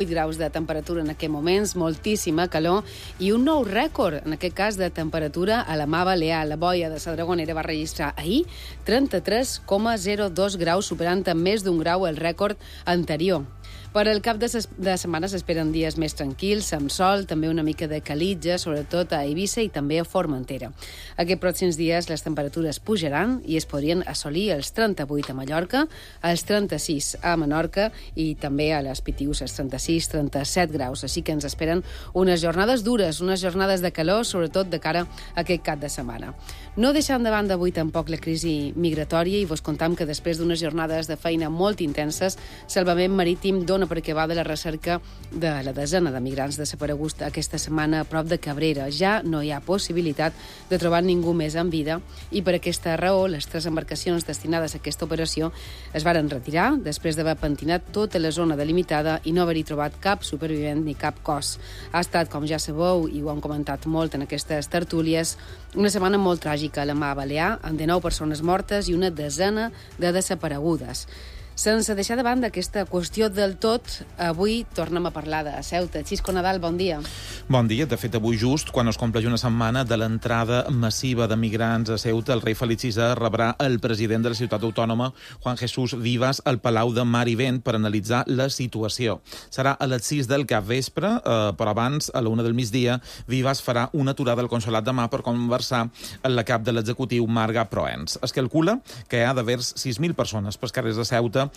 8 graus de temperatura en aquests moments, moltíssima calor i un nou rècord, en aquest cas de temperatura a la Mar Balear. La boia de la Dragonera va registrar ahir 33,02 graus, superant amb més d'un grau el rècord anterior. Per al cap de setmana s'esperen dies més tranquils, amb sol, també una mica de calitja, sobretot a Eivissa i també a Formentera. Aquests pròxims dies les temperatures pujaran i es podrien assolir els 38 a Mallorca, els 36 a Menorca i també a les Pitius els 36-37 graus. Així que ens esperen unes jornades dures, unes jornades de calor, sobretot de cara a aquest cap de setmana. No deixant de banda avui tampoc la crisi migratòria i vos contam que després d'unes jornades de feina molt intenses, Salvament Marítim dona per acabada la recerca de la desena de migrants desapareguts aquesta setmana a prop de Cabrera. Ja no hi ha possibilitat de trobar ningú més en vida i per aquesta raó les 3 embarcacions destinades a aquesta operació es varen retirar després d'haver pentinat tota la zona delimitada i no haver-hi trobat cap supervivent ni cap cos. Ha estat, com ja sabeu, i ho han comentat molt en aquestes tertúlies, una setmana molt tràgica a la Mar Balear, amb 19 persones mortes i una desena de desaparegudes. Sense deixar de banda aquesta qüestió del tot, avui tornem a parlar de Ceuta. Xisco Nadal, bon dia. Bon dia. De fet, avui just, quan es compleix una setmana de l'entrada massiva de migrants a Ceuta, el rei Felip VI rebrà el president de la ciutat autònoma, Juan Jesús Vivas, al Palau de Mar i Vent per analitzar la situació. Serà a les 6 del capvespre, però abans, a la 1 del migdia, Vivas farà una aturada al Consolat de Mar per conversar amb la cap de l'executiu, Marga Proens. Es calcula que hi ha d'haver 6.000 persones pels carrers de Ceuta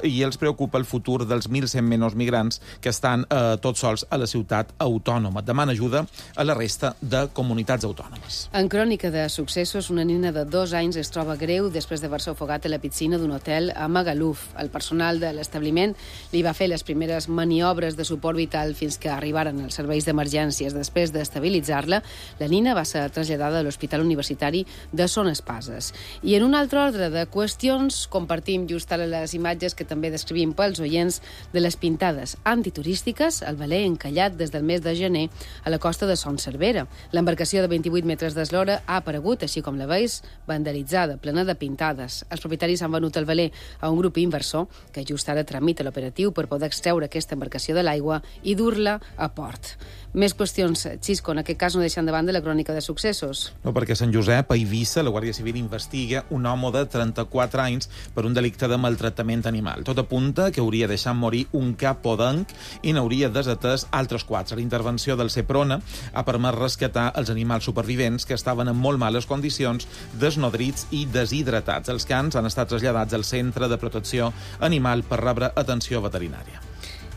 i els preocupa el futur dels 1.100 menys migrants que estan tots sols a la ciutat autònoma. Demana ajuda a la resta de comunitats autònomes. En crònica de successos, una nena de 2 anys es troba greu després d'haver-se ofegat a la piscina d'un hotel a Magaluf. El personal de l'establiment li va fer les primeres maniobres de suport vital fins que arribaren els serveis d'emergències. Després d'estabilitzar-la, la nina va ser traslladada a l'Hospital Universitari de Son Espases. I en un altre ordre de qüestions, compartim just ara les imatges que també descrivim pels oients de les pintades antiturístiques al veler encallat des del mes de gener a la costa de Son Servera. L'embarcació de 28 metres d'eslora ha aparegut, així com la veus, vandalitzada, plena de pintades. Els propietaris han venut el veler a un grup inversor que just ara tramita l'operatiu per poder extreure aquesta embarcació de l'aigua i dur-la a port. Més qüestions, Xisco, en aquest cas no deixant de banda la crònica de successos. No, perquè a Sant Josep, a Eivissa, la Guàrdia Civil investiga un home de 34 anys per un delicte de maltractament animal. Tot apunta que hauria deixat morir un cap podenc i n'hauria desatès altres 4. La intervenció del Seprona ha permès rescatar els animals supervivents que estaven en molt males condicions, desnodrits i deshidratats. Els cans han estat traslladats al Centre de Protecció Animal per rebre atenció veterinària.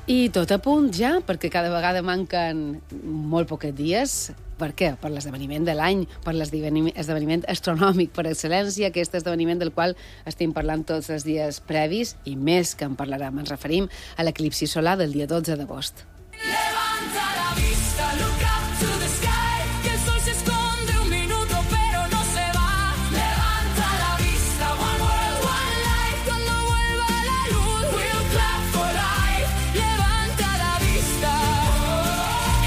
I tot a punt ja, perquè cada vegada manquen molt pocs dies. Per què? Per l'esdeveniment de l'any, per l'esdeveniment astronòmic per excel·lència, aquest esdeveniment del qual estem parlant tots els dies previs i més que en parlarem. Ens referim a l'eclipsi solar del dia 12 d'agost. Levanta la vista, look up to the sky, que el sol se esconde un minuto pero no se va. Levanta la vista, one world, one life, cuando vuelva la luz, we'll clap for life. Levanta la vista,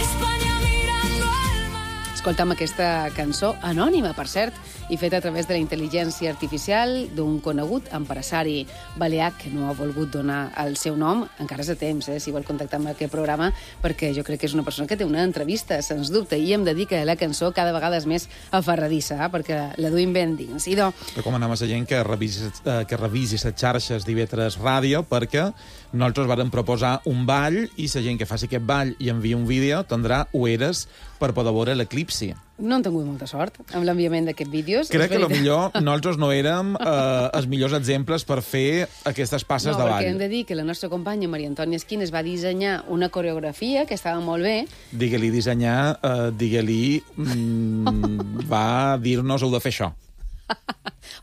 España mirando al mar. Escoltam aquesta cançó anònima, per cert, i feta a través de la intel·ligència artificial d'un conegut empresari balear que no ha volgut donar el seu nom. Encara és a temps, si vol contactar amb aquest programa, perquè jo crec que és una persona que té una entrevista, sens dubte, i hem de dir que la cançó cada vegada és més aferradissa, perquè la duim ben dins. I recomanem a la gent que revisi les xarxes d'IV3 Ràdio, perquè nosaltres vàrem proposar un ball i la gent que faci aquest ball i envia un vídeo tindrà ueres per poder veure l'eclipsi. No han tingut molta sort amb l'enviament d'aquests vídeos. Crec que potser nosaltres no érem els millors exemples per fer aquestes passes de ball. No, perquè hem de dir que la nostra companya Maria Antònia Esquines va dissenyar una coreografia que estava molt bé. Digue-li dissenyar, digue-li va dir-nos heu de fer això.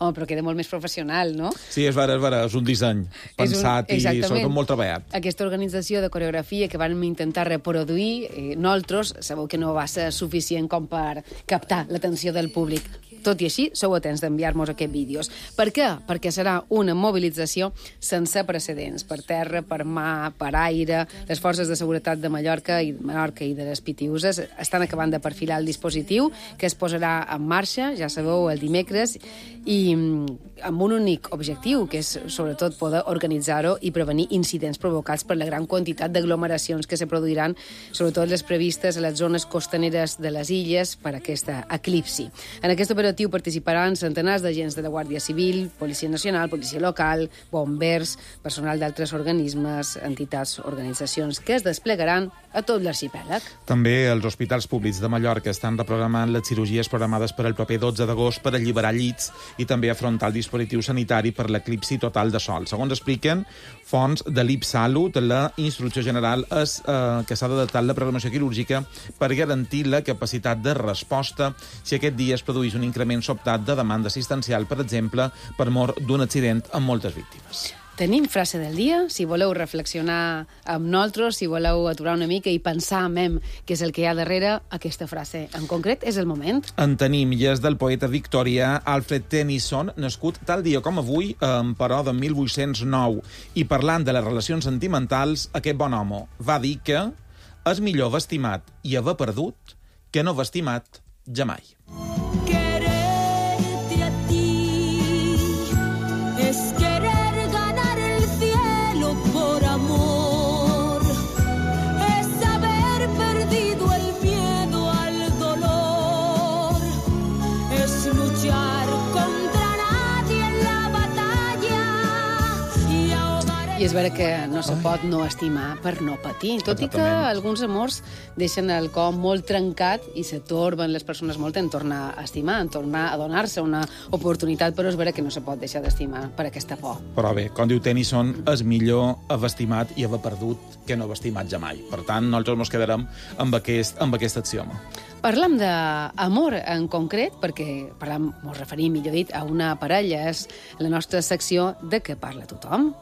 Home, però queda molt més professional, no? Sí, és vera, és un disseny pensat i sobretot molt treballat. Aquesta organització de coreografia que vam intentar reproduir, nosaltres, sabeu que no va ser suficient com per captar l'atenció del públic. Tot i així, sou atents d'enviar-nos aquests vídeos. Per què? Perquè serà una mobilització sense precedents. Per terra, per mà, per aire. Les forces de seguretat de Mallorca i de les Pitiüses estan acabant de perfilar el dispositiu que es posarà en marxa, ja sabeu, el dimecres, i amb un únic objectiu, que és sobretot poder organitzar-ho i prevenir incidents provocats per la gran quantitat d'aglomeracions que se produiran, sobretot les previstes a les zones costaneres de les illes per aquesta eclipsi. En aquest operatiu participaran centenars d'agents de la Guàrdia Civil, Policia Nacional, Policia Local, bombers, personal d'altres organismes, entitats, organitzacions que es desplegaran a tot l'arxipèlag. També els hospitals públics de Mallorca estan reprogramant les cirurgies programades per al proper 12 d'agost per alliberar llits i també afrontar el dispositiu sanitari per l'eclipsi total de sol. Segons expliquen fonts de l'IPSALUT, la instrucció general és que s'ha d'adaptar la programació quirúrgica per garantir la capacitat de resposta si aquest dia es produeix un increment sobtat de demanda assistencial, per exemple, per mor d'un accident amb moltes víctimes. Tenim frase del dia. Si voleu reflexionar amb nosaltres, si voleu aturar una mica i pensar en què és el que hi ha darrere, aquesta frase en concret és el moment. En tenim, i és del poeta victorià Alfred Tennyson, nascut tal dia com avui, però de 1809. I parlant de les relacions sentimentals, aquest bon home va dir que és millor haver estimat i haver perdut que no haver estimat jamai. Quererte a ti es querer ganar el cielo por amor, es haber perdido el miedo al dolor, es luchar contra nadie en la batalla y ahogar I és vera que no se pot no estimar per no patir, tot i que alguns amors deixen el cor molt trencat i se torben les persones molt en tornar a estimar, en tornar a donar-se una oportunitat, però és vera que no se pot deixar d'estimar per aquesta por. Però bé, com diu Tennyson, és millor haver estimat i haver perdut que no haver estimat jamai. Per tant, nosaltres ens quedarem amb aquest axioma. Parlam d'amor en concret, perquè ens referim, millor dit, a una parella. És la nostra secció de què parla tothom.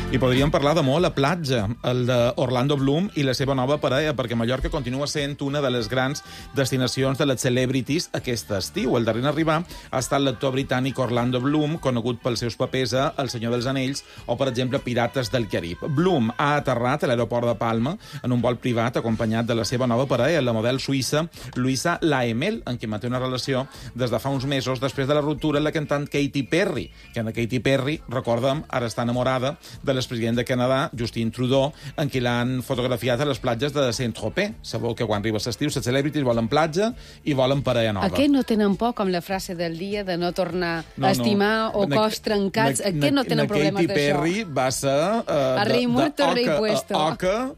I podríem parlar d'amor a la platja, el d'Orlando Bloom i la seva nova parella, perquè Mallorca continua sent una de les grans destinacions de les celebrities aquest estiu. El darrer en arribar ha estat l'actor britànic Orlando Bloom, conegut pels seus papers a El Senyor dels Anells o, per exemple, Pirates del Carib. Bloom ha aterrat a l'aeroport de Palma en un vol privat acompanyat de la seva nova parella, la model suïssa Luisa Laemel, en qui manté una relació des de fa uns mesos després de la ruptura amb la cantant Katy Perry, que en Katy Perry, recordem, ara està enamorada de l'expresident de Canadà, Justin Trudeau, en qui l'han fotografiat a les platges de Saint-Tropez. Sabeu que quan arriba l'estiu, les celebrities volen platja i volen parella nova. A què no tenen por, com la frase del dia, de no tornar a estimar o cos trencats? A què no tenen problemes d'això? Katy Perry va ser a rei muerto, rei puesto. Oca,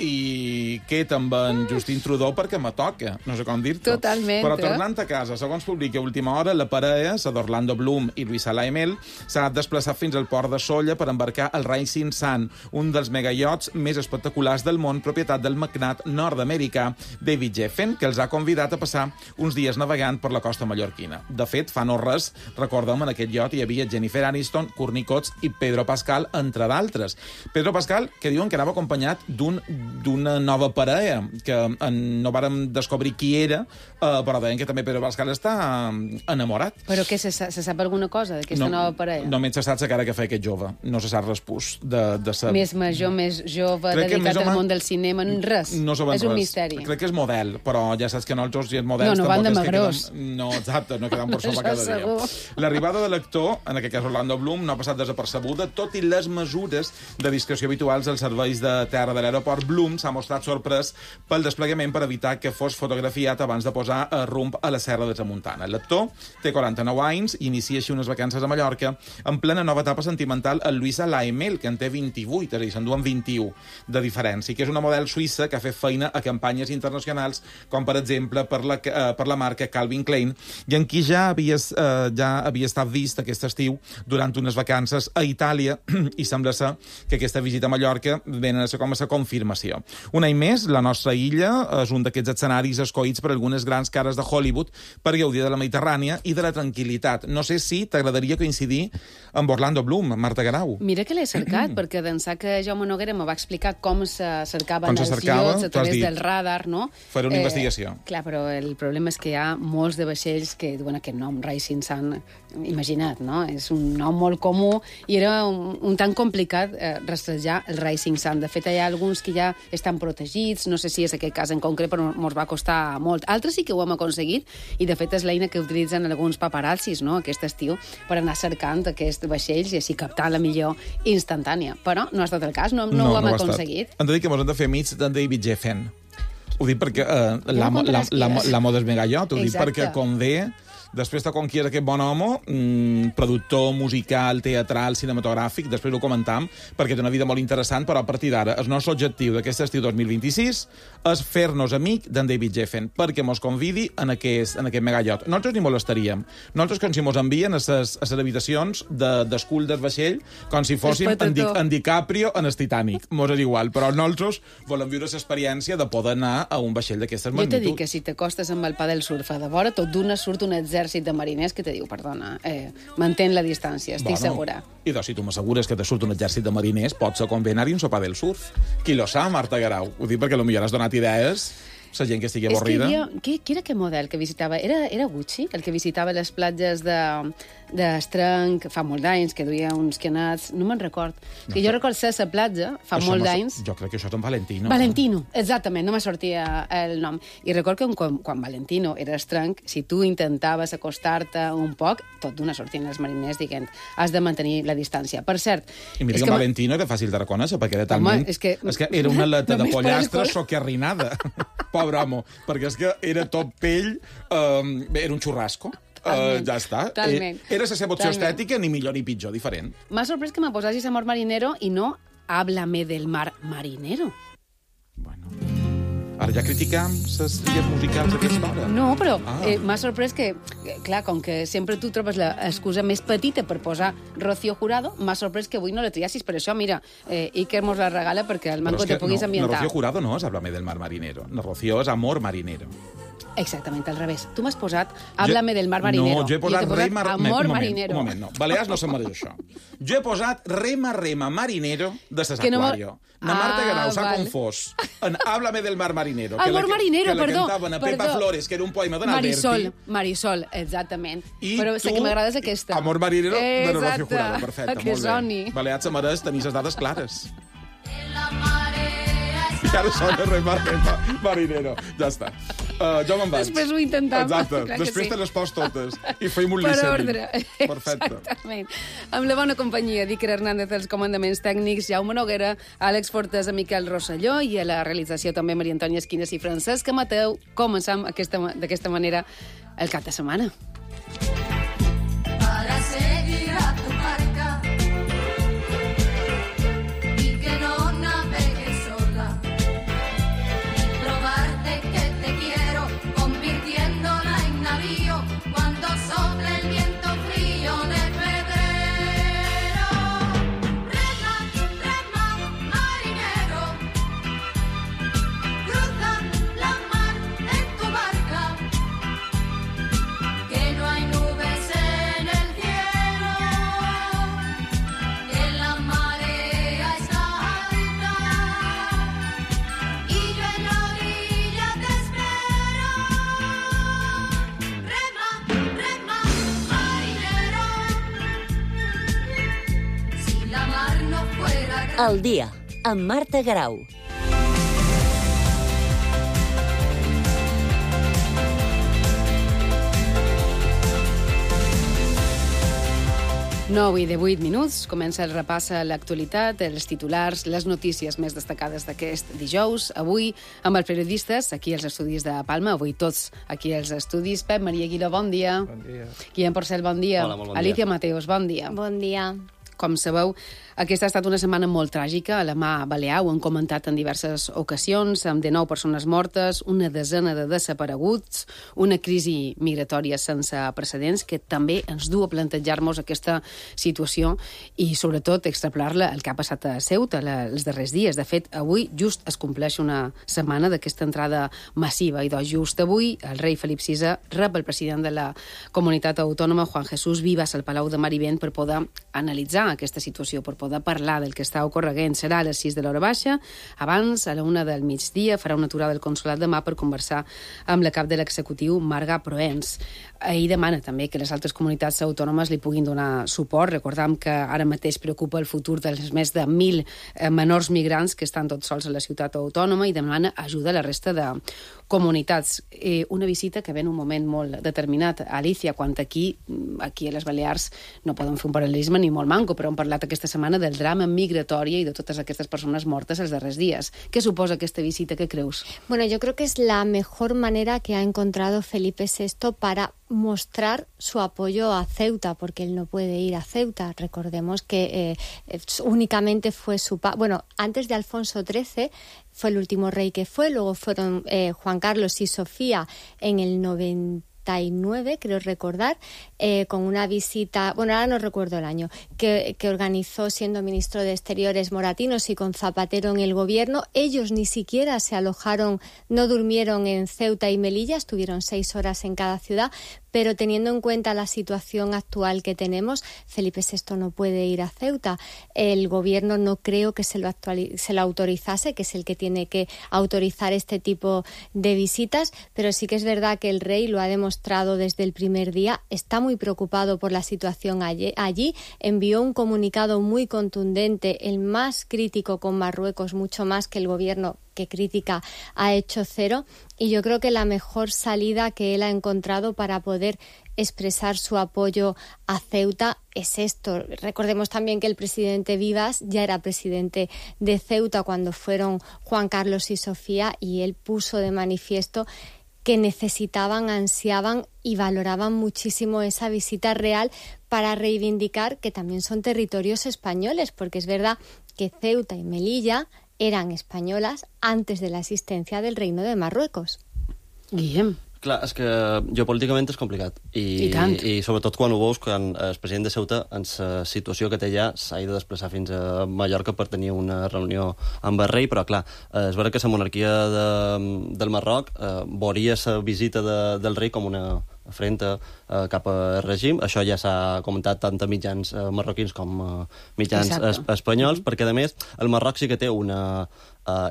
i queda amb en Justin Trudeau perquè me toca, no sé com dir-te. Totalment. Però tornant a casa, segons publica a última hora, la parella, la d'Orlando Bloom i Luisa Laemel, s'ha desplaçat fins al port de Sóller per embarcar el Rising Sun, un dels megaiots més espectaculars del món, propietat del magnat nord-americà David Geffen, que els ha convidat a passar uns dies navegant per la costa mallorquina. De fet, fa no res, recordem, en aquest iot hi havia Jennifer Aniston, Courtney Cox i Pedro Pascal, entre d'altres. Pedro Pascal, que diuen que anava acompanyat d'una nova parella, que no vàrem descobrir qui era, però deien que també Pedro Pascal està enamorat. Però què, se sap alguna cosa d'aquesta nova parella? Només se sap la cara que fa aquest jove. No se sap res pus de ser... Més major, més jove, dedicat al món del cinema, res. No sabem és un misteri. Crec que és model, però ja saps que nosaltres i els models... No van de magrós. No, exacte, no quedem per sobre cada dia. L'arribada de l'actor, en aquest cas Orlando Bloom, no ha passat desapercebuda, tot i les mesures de discreció habituals als serveis de terra de l'aeroport. Bloom s'ha mostrat sorprès pel desplegament per evitar que fos fotografiat abans de posar rumb a la Serra de Tramuntana. L'actor té 49 anys i inicia així unes vacances a Mallorca en plena nova etapa sentimental amb Luisa Laemel, que en té 28, és a dir, s'enduen 21 de diferència, que és una model suïssa que ha fet feina a campanyes internacionals, com per exemple per la marca Calvin Klein, i en qui ja havia estat vist aquest estiu durant unes vacances a Itàlia, i sembla ser que aquesta visita a Mallorca venen a ser com a confirmació investigació. Un any més, la nostra illa és un d'aquests escenaris escollits per algunes grans cares de Hollywood per gaudir de la Mediterrània i de la tranquil·litat. No sé si t'agradaria coincidir amb Orlando Bloom, Marta Garau. Mira que l'he cercat, perquè d'ençà que Jaume Noguera me va explicar com se cercaven els cercava, iots a través del radar, no? Fer una investigació. Clar, però el problema és que hi ha molts de vaixells que duen aquest nom, Rising Sun, imagina't, no? És un nom molt comú i era un tan complicat rastrejar el Rising Sun. De fet, hi ha alguns que ja estan protegits, no sé si és aquest cas en concret, però ens va costar molt. Altres sí que ho hem aconseguit i, de fet, és l'eina que utilitzen alguns paparazzis, no?, aquest estiu, per anar cercant aquests vaixells i així captar la millor instantània. Però no ha estat el cas, no ho hem aconseguit. Hem de dir que ens hem de fer amics d'en David Geffen. Ho dic perquè l'amo del megallot, ho dic perquè com ve... Després de com qui és aquest bon home, productor musical, teatral, cinematogràfic, després ho comentam, perquè té una vida molt interessant, però a partir d'ara el nostre objectiu d'aquest estiu 2026 és fer-nos amic d'en David Geffen, perquè mos convidi en aquest megallot. Nosaltres ni molestaríem. Nosaltres com si mos envien a les habitacions d'escull del vaixell, com si fóssim en DiCaprio en el Titanic. Mos és igual, però nosaltres volem viure l'experiència de poder anar a un vaixell d'aquestes magnituds. Jo t'he dit que si t'acostes amb el pa del surf a de vora, tot d'una surt un exèrcit de mariners que te diu, perdona, mantén la distància, estic segura. I doncs, si tu m'assegures que te surt un exèrcit de mariners, pot ser convenir-hi un sopar del surf. Qui lo sap, Marta Garau? Ho dic perquè potser has donat idees la gent que estigui avorrida. Qui era aquest model que visitava? Era Gucci, el que visitava les platges d'Estrenc fa molt d'anys, que duia uns quenats, no me'n record. Que jo record ser a la platja fa molt d'anys. Jo crec que això és en Valentino. Valentino, exactament, no me sortia el nom. I record que quan Valentino era Estrenc, si tu intentaves acostar-te un poc, tot d'una sortien els mariners dient has de mantenir la distància. Per cert... I mira que Valentino era fàcil de reconèixer, perquè era talment... És que era una aleta de pollastre socarrinada. Pobre home, perquè és que era tot pell, era un xurrasco. Ja està. Era la seva opció estètica, ni millor ni pitjor, diferent. M'ha sorprès que me posassis Amor Marinero i no Háblame del mar marinero. Bueno... Ara ja criticam les tries musicals d'aquesta hora. No, però m'ha sorprès que, clar, com que sempre tu trobes l'excusa més petita per posar Rocío Jurado, m'ha sorprès que avui no la triassis. Per això, mira, Iker mos la regala perquè el manco te puguis ambientar. No, Rocío Jurado no és Háblame del mar marinero. No, Rocío és Amor marinero. Exactament, al revés. Tu m'has posat Háblame del mar marinero. No, jo he posat Amor marinero. Un moment, no. Balears no se'n mereix això. Jo he posat Rema Marinero de Ses Aquario. La Marta Garau s'ha confós en Háblame del mar marinero. Amor marinero, perdó. Que la cantaven a Pepa Flores, que era un poema d'en Alberti. Marisol, exactament. Però sé que m'agrades aquesta. Amor marinero de Rocío Jurado. Perfecte, molt bé. Balears se mereix tenir les dades clares. I ara sona Rema Marinero. Ja està. Jo me'n vaig. Després ho intentem. Exacte. Després te les pos totes. I feim un listening. Per ordre. Perfecte. Exactament. Amb la bona companyia d'Iker Hernández als comandaments tècnics, Jaume Noguera, Àlex Fortes, Miquel Rosselló i a la realització també Maria Antònia Esquines i Francesc Mateu. Començam d'aquesta manera el cap de setmana. Para seguir a tu marca y que no navegues sola y probarte que te quiero convirtiéndola en navío cuando sople el viento frío de febrero. Rema, rema, marinero, cruza la mar en tu barca, que no hay nubes en el cielo, que la marea está alta y yo en la orilla te espero. Rema, rema, marinero, si la mar no fuera grande. El dia, amb Marta Garau. Nou i de 8 minuts, comença el repàs a l'actualitat, els titulars, les notícies més destacades d'aquest dijous. Avui, amb els periodistes, aquí als estudis de Palma, avui tots aquí als estudis. Pep, Maria Aguiló, bon dia. Bon dia. Guillem Porcel, bon dia. Hola, molt bon dia. Alicia Mateos, bon dia. Bon dia. Com sabeu, aquesta ha estat una setmana molt tràgica a la mà balear, ho han comentat en diverses ocasions, amb 19 persones mortes, una desena de desapareguts, una crisi migratòria sense precedents que també ens du a plantejar-nos aquesta situació i, sobretot, extrapolar-la al que ha passat a Ceuta els darrers dies. De fet, avui just es compleix una setmana d'aquesta entrada massiva i just avui el rei Felip VI rep el president de la comunitat autònoma, Juan Jesús Vivas, al Palau de Mar i Vent per poder analitzar aquesta situació, per poder parlar del que està ocorreguent. Serà a les 6 de l'hora baixa. Abans, a la 1 del migdia, farà una aturada al consolat de Mar per conversar amb la cap de l'executiu, Marga Proens. Ell demana també que les altres comunitats autònomes li puguin donar suport. Recordam que ara mateix preocupa el futur dels més de 1.000 menors migrants que estan tots sols a la ciutat autònoma i demana ajuda a la resta de comunitats. Una visita que ve en un moment molt determinat. Alicia, quan aquí a les Balears no poden fer un paral·lelisme ni molt manco, però hem parlat aquesta setmana del drama migratòria i de totes aquestes persones mortes els darrers dies. ¿Qué suposa aquesta visita? ¿Qué creus? Bueno, yo creo que es la mejor manera que ha encontrado Felipe VI para mostrar su apoyo a Ceuta, porque él no puede ir a Ceuta. Recordemos que únicamente fue bueno, antes de Alfonso XIII fue el último rey que fue, luego fueron Juan Carlos y Sofía en el 99, creo recordar, con una visita, bueno, ahora no recuerdo el año, que organizó siendo ministro de Exteriores Moratinos y con Zapatero en el gobierno. Ellos ni siquiera se alojaron, no durmieron en Ceuta y Melilla, estuvieron 6 horas en cada ciudad, pero teniendo en cuenta la situación actual que tenemos, Felipe VI no puede ir a Ceuta. El gobierno no creo que se lo autorizase, que es el que tiene que autorizar este tipo de visitas, pero sí que es verdad que el rey lo ha demostrado desde el primer día, está muy preocupado por la situación allí, envió un comunicado muy contundente, el más crítico con Marruecos, mucho más que el gobierno que crítica ha hecho cero, y yo creo que la mejor salida que él ha encontrado para poder expresar su apoyo a Ceuta es esto. Recordemos también que el presidente Vivas ya era presidente de Ceuta cuando fueron Juan Carlos y Sofía, y él puso de manifiesto que necesitaban, ansiaban y valoraban muchísimo esa visita real para reivindicar que también son territorios españoles, porque es verdad que Ceuta y Melilla eran españolas antes de la existència del Reino de Marruecos. Guillem. Clar, és que geopolíticament és complicat. I sobretot quan ho veus, quan el president de Ceuta, en la situació que té allà, s'ha de desplaçar fins a Mallorca per tenir una reunió amb el rei, però clar, és vera que la monarquia del Marroc veuria la visita del rei com una afrenta cap al règim. Això ja s'ha comentat tant a mitjans marroquins com mitjans espanyols, perquè a més el Marroc sí que té una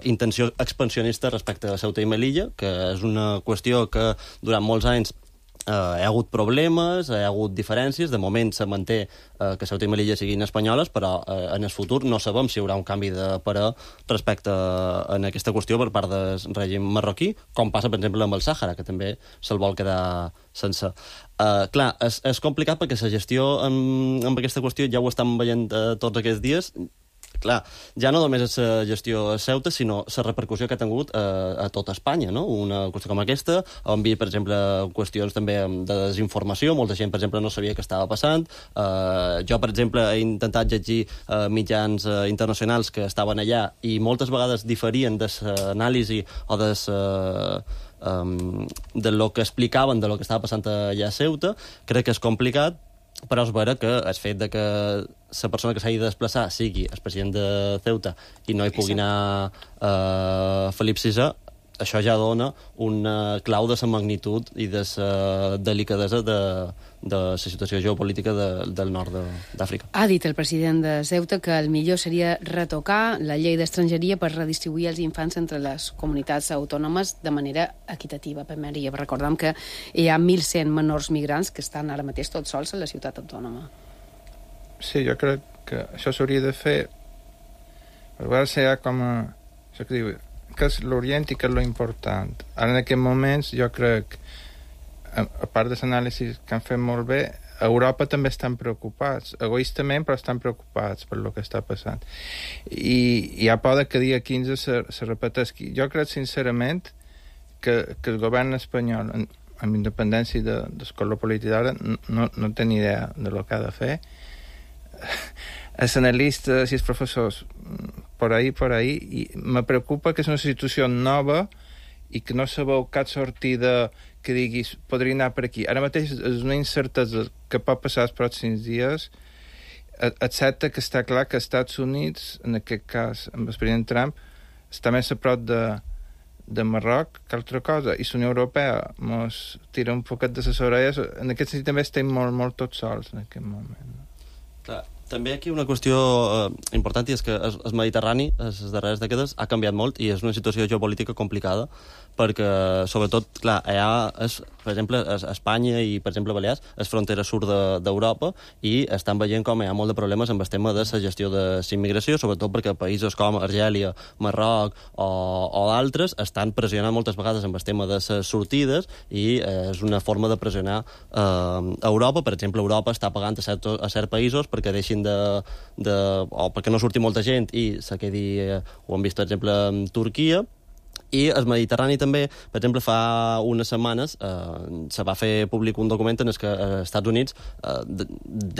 intenció expansionista respecte a Ceuta i Melilla, que és una qüestió que durant molts anys hi ha hagut problemes, hi ha hagut diferències. De moment se manté que Ceuta i Melilla siguin espanyoles, però en el futur no sabem si hi haurà un canvi de parer respecte a aquesta qüestió per part del règim marroquí, com passa, per exemple, amb el Sàhara, que també se'l vol quedar sense. Clar, és complicat perquè la gestió amb aquesta qüestió ja ho estem veient tots aquests dies. Clar, ja no només és la gestió a Ceuta, sinó la repercussió que ha tingut a tota Espanya, no? Una qüestió com aquesta, on vi, per exemple, qüestions també de desinformació, molta gent, per exemple, no sabia què estava passant. Jo, per exemple, he intentat llegir mitjans internacionals que estaven allà i moltes vegades diferien de l'anàlisi o de lo que explicaven de lo que estava passant allà a Ceuta. Crec que és complicat, però és vera que el fet de que la persona que s'hagi de desplaçar sigui el president de Ceuta i no hi pugui anar Felip VI, això ja dona una clau de la magnitud i de la delicadesa de la situació geopolítica del nord d'Àfrica. Ha dit el president de Ceuta que el millor seria retocar la llei d'estrangeria per redistribuir els infants entre les comunitats autònomes de manera equitativa. Primeria, recordem que hi ha 1.100 menors migrants que estan ara mateix tots sols a la ciutat autònoma. Sí, jo crec que això s'hauria de fer per veure si hi ha com això que diu, que és l'Orient i que és l'important. Ara, en aquests moments, jo crec, a part de l'anàlisi que han fet molt bé, a Europa també estan preocupats, egoistament, però estan preocupats per el que està passant. I hi ha por que dia 15 se repeteixi. Jo crec, sincerament, que el govern espanyol, amb independència del color polític d'ara, no té ni idea de lo que ha de fer. els analistes i els professors por ahí, i me preocupa que és una situació nova i que no sabeu cap sortida que diguis podria anar per aquí. Ara mateix és una incertesa que pot passar els pròxims dies, excepte que està clar que els Estats Units, en aquest cas amb el president Trump, està més a prop de Marroc que altra cosa, i la Unió Europea mos tira un poquet de les orelles. En aquest sentit també estem molt tots sols en aquest moment. Clar, també aquí una qüestió important i és que el Mediterrani, les darreres dècades, ha canviat molt i és una situació geopolítica complicada perquè, sobretot, clar, allà és, per exemple, Espanya i, per exemple, Balears, és frontera sud d'Europa i estan veient com hi ha molt de problemes amb el tema de la gestió de la immigració, sobretot perquè països com Argèlia, Marroc o d'altres estan pressionant moltes vegades amb el tema de les sortides i és una forma de pressionar Europa. Per exemple, Europa està pagant a certs països perquè deixin o perquè no surti molta gent i se quedi, ho hem vist, per exemple, en Turquia. I el Mediterrani també, per exemple, fa unes setmanes se va fer públic un document en el que els Estats Units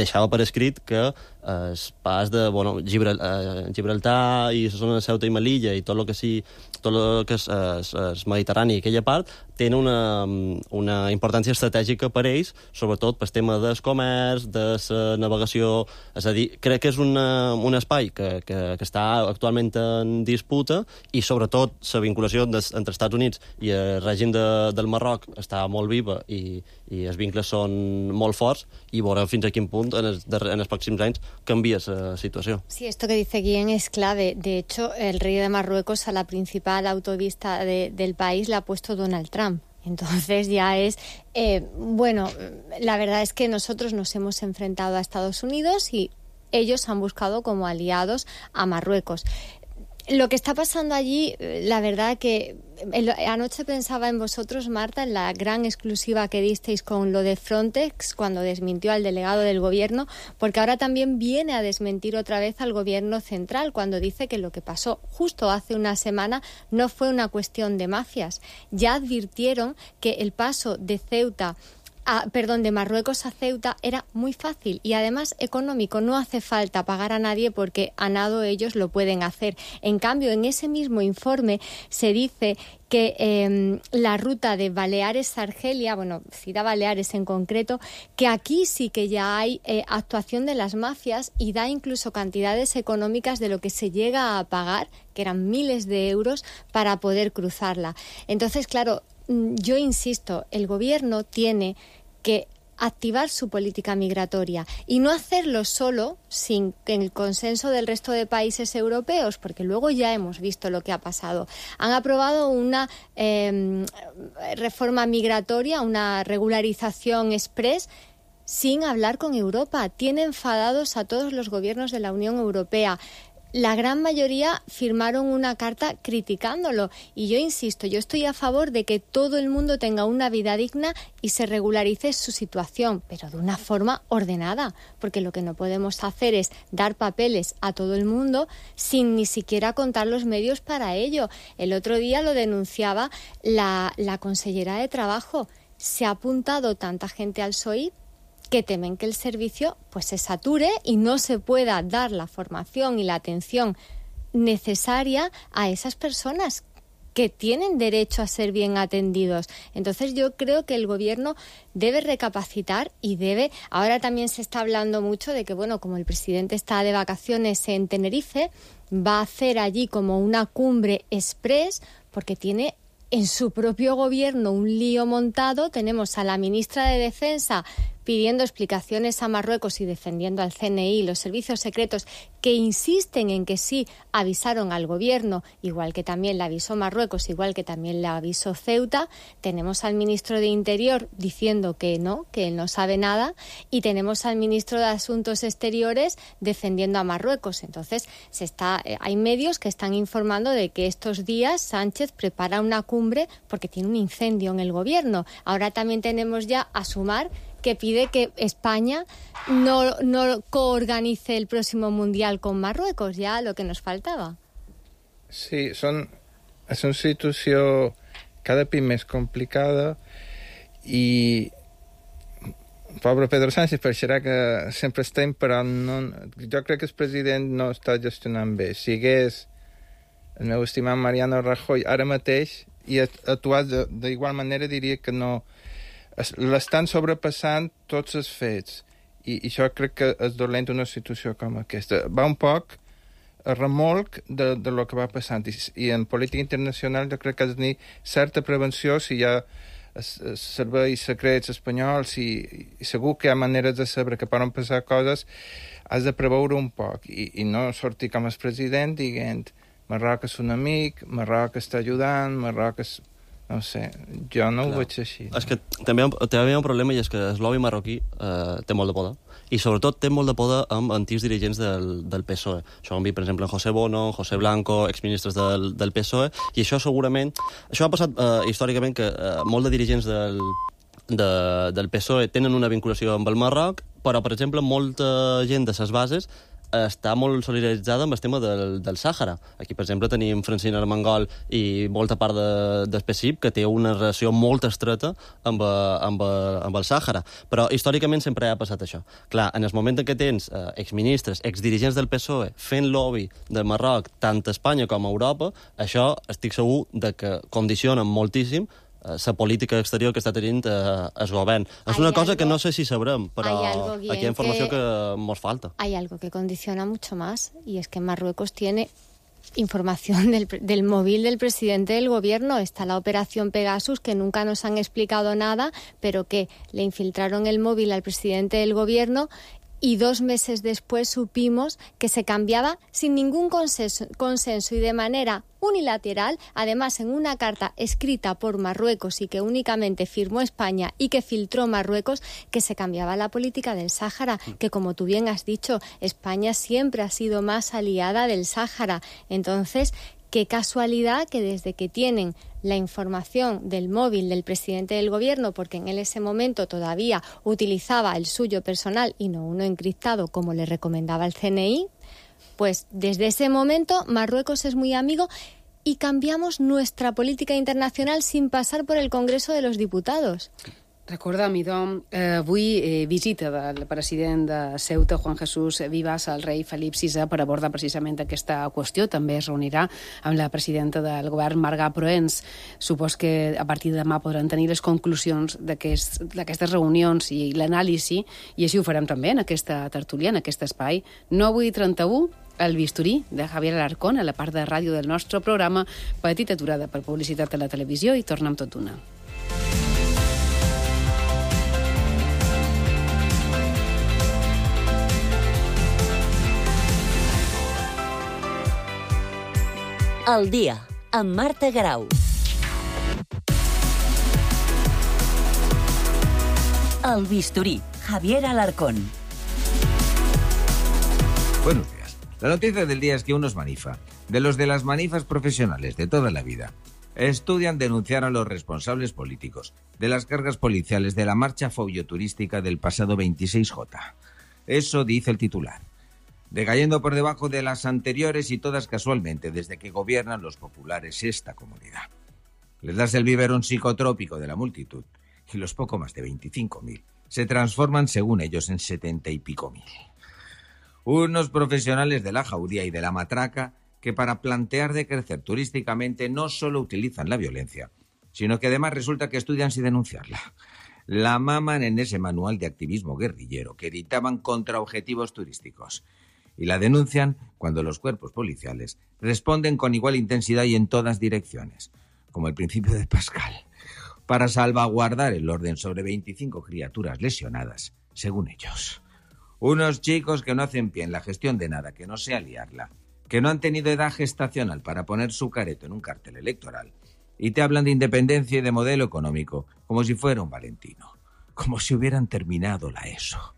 deixava per escrit que el pas de Gibraltar i la zona de Ceuta i Melilla i tot el que és el Mediterrani i aquella part tenen una importància estratègica per ells, sobretot pel tema del comerç, de la navegació. És a dir, crec que és un espai que està actualment en disputa i sobretot la vinculació entre Estats Units i el règim del Marroc està molt viva i els vincles són molt forts i veurem fins a quin punt en els pròxims anys canvia la situació. Sí, esto que dice Guillén es clave. De hecho, el rey de Marruecos a la principal autovista del país la ha puesto Donald Trump. Entonces ya es... bueno, la verdad es que nosotros nos hemos enfrentado a Estados Unidos y ellos han buscado como aliados a Marruecos. Lo que está pasando allí, la verdad que anoche pensaba en vosotros, Marta, en la gran exclusiva que disteis con lo de Frontex cuando desmintió al delegado del gobierno, porque ahora también viene a desmentir otra vez al gobierno central cuando dice que lo que pasó justo hace una semana no fue una cuestión de mafias. Ya advirtieron que el paso de de Marruecos a Ceuta era muy fácil y además económico. No hace falta pagar a nadie porque a nado ellos lo pueden hacer. En cambio, en ese mismo informe se dice que la ruta de Baleares-Argelia, bueno, cita Baleares en concreto, que aquí sí que ya hay actuación de las mafias y da incluso cantidades económicas de lo que se llega a pagar, que eran miles de euros, para poder cruzarla. Entonces, claro, yo insisto, el gobierno tiene que activar su política migratoria y no hacerlo solo sin el consenso del resto de países europeos, porque luego ya hemos visto lo que ha pasado. Han aprobado una reforma migratoria, una regularización express, sin hablar con Europa. Tiene enfadados a todos los gobiernos de la Unión Europea. La gran mayoría firmaron una carta criticándolo y yo insisto, yo estoy a favor de que todo el mundo tenga una vida digna y se regularice su situación, pero de una forma ordenada, porque lo que no podemos hacer es dar papeles a todo el mundo sin ni siquiera contar los medios para ello. El otro día lo denunciaba la consellera de Trabajo. Se ha apuntado tanta gente al SOIP que temen que el servicio pues se sature y no se pueda dar la formación y la atención necesaria a esas personas que tienen derecho a ser bien atendidos. Entonces yo creo que el gobierno debe recapacitar y debe... Ahora también se está hablando mucho de que, bueno, como el presidente está de vacaciones en Tenerife, va a hacer allí como una cumbre express porque tiene en su propio gobierno un lío montado. Tenemos a la ministra de Defensa pidiendo explicaciones a Marruecos y defendiendo al CNI y los servicios secretos que insisten en que sí avisaron al gobierno, igual que también le avisó Marruecos, igual que también le avisó Ceuta. Tenemos al ministro de Interior diciendo que él no sabe nada, y tenemos al ministro de Asuntos Exteriores defendiendo a Marruecos. Entonces hay medios que están informando de que estos días Sánchez prepara una cumbre porque tiene un incendio en el gobierno. Ahora también tenemos ya a Sumar, que pide que España no coorganice el próximo Mundial con Marruecos, ya lo que nos faltava. Sí, és una situació cada cop més complicada i pobre Pedro Sánchez pareixerà que sempre estem, però no, jo crec que el president no està gestionant bé. Si hagués el meu estimat Mariano Rajoy ara mateix i actuat d'igual manera, diria que no. L'estan sobrepassant tots els fets. I això crec que és dolent una situació com aquesta. Va un poc a remolc de lo que va passant. I en política internacional jo crec que has de tenir certa prevenció si hi ha serveis secrets espanyols i segur que hi ha maneres de saber que poden passar coses, has de preveure un poc i no sortir com el president dient Marroc és un amic, Marroc està ajudant, Marroc és... No sé, jo no ho veig així. És que també hi ha un problema i és que el lobby marroquí té molt de poder i sobretot té molt de poder amb antics dirigents del PSOE. Això ho hem vist, per exemple, en José Bono, José Blanco, exministres del PSOE, i això segurament... Això ha passat històricament que molts de dirigents del PSOE tenen una vinculació amb el Marroc, però, per exemple, molta gent de ses bases està molt solidaritzada amb el tema del Sàhara. Aquí, per exemple, tenim Francina Armengol i molta part del PSIP que té una relació molt estreta amb el Sàhara. Però històricament sempre ha passat això. Clar, en el moment en què tens exministres, exdirigents del PSOE fent lobby de Marroc tant a Espanya com a Europa, això estic segur de que condiciona moltíssim la política exterior que està tenint el govern. És una cosa que no sé si sabrem, però aquí hi ha informació que ens falta. Hay algo que condiciona mucho más, y es que Marruecos tiene información del móvil del presidente del gobierno. Está la operación Pegasus, que nunca nos han explicado nada, pero que le infiltraron el móvil al presidente del gobierno y 2 meses después supimos que se cambiaba sin ningún consenso y de manera unilateral, además en una carta escrita por Marruecos y que únicamente firmó España y que filtró Marruecos, que se cambiaba la política del Sáhara, que como tú bien has dicho, España siempre ha sido más aliada del Sáhara. Entonces, qué casualidad que desde que tienen la información del móvil del presidente del gobierno, porque en ese momento todavía utilizaba el suyo personal y no uno encriptado como le recomendaba el CNI, pues desde ese momento Marruecos es muy amigo y cambiamos nuestra política internacional sin pasar por el Congreso de los Diputados. Recordem, idò, avui visita del president de Ceuta, Juan Jesús Vivas, al rei Felip VI, per abordar precisament aquesta qüestió. També es reunirà amb la presidenta del govern, Marga Proens. Supos que a partir de demà podran tenir les conclusions d'aquestes reunions i l'anàlisi, i així ho farem també en aquesta tertúlia, en aquest espai. 9:31, el bisturí de Javier Alarcón, a la part de ràdio del nostre programa. Petita aturada per publicitat a la televisió i tornem tot d'una. El dia, amb Marta Grau. El bisturí, Javier Alarcón. Buenos días. La noticia del día es que unos manifa, de los de las manifas profesionales de toda la vida, estudian denunciar a los responsables políticos de las cargas policiales de la marcha folioturística del pasado 26J. Eso dice el titular. Decayendo por debajo de las anteriores y todas casualmente desde que gobiernan los populares esta comunidad. Les das el biberón psicotrópico de la multitud y los poco más de 25.000 se transforman, según ellos, en 70 y pico mil. Unos profesionales de la jauría y de la matraca que para plantear de crecer turísticamente no solo utilizan la violencia, sino que además resulta que estudian sin denunciarla. La maman en ese manual de activismo guerrillero que editaban contra objetivos turísticos. Y la denuncian cuando los cuerpos policiales responden con igual intensidad y en todas direcciones, como el principio de Pascal, para salvaguardar el orden sobre 25 criaturas lesionadas, según ellos. Unos chicos que no hacen pie en la gestión de nada, que no sea liarla, que no han tenido edad gestacional para poner su careto en un cartel electoral, y te hablan de independencia y de modelo económico, como si fuera un Valentino, como si hubieran terminado la ESO.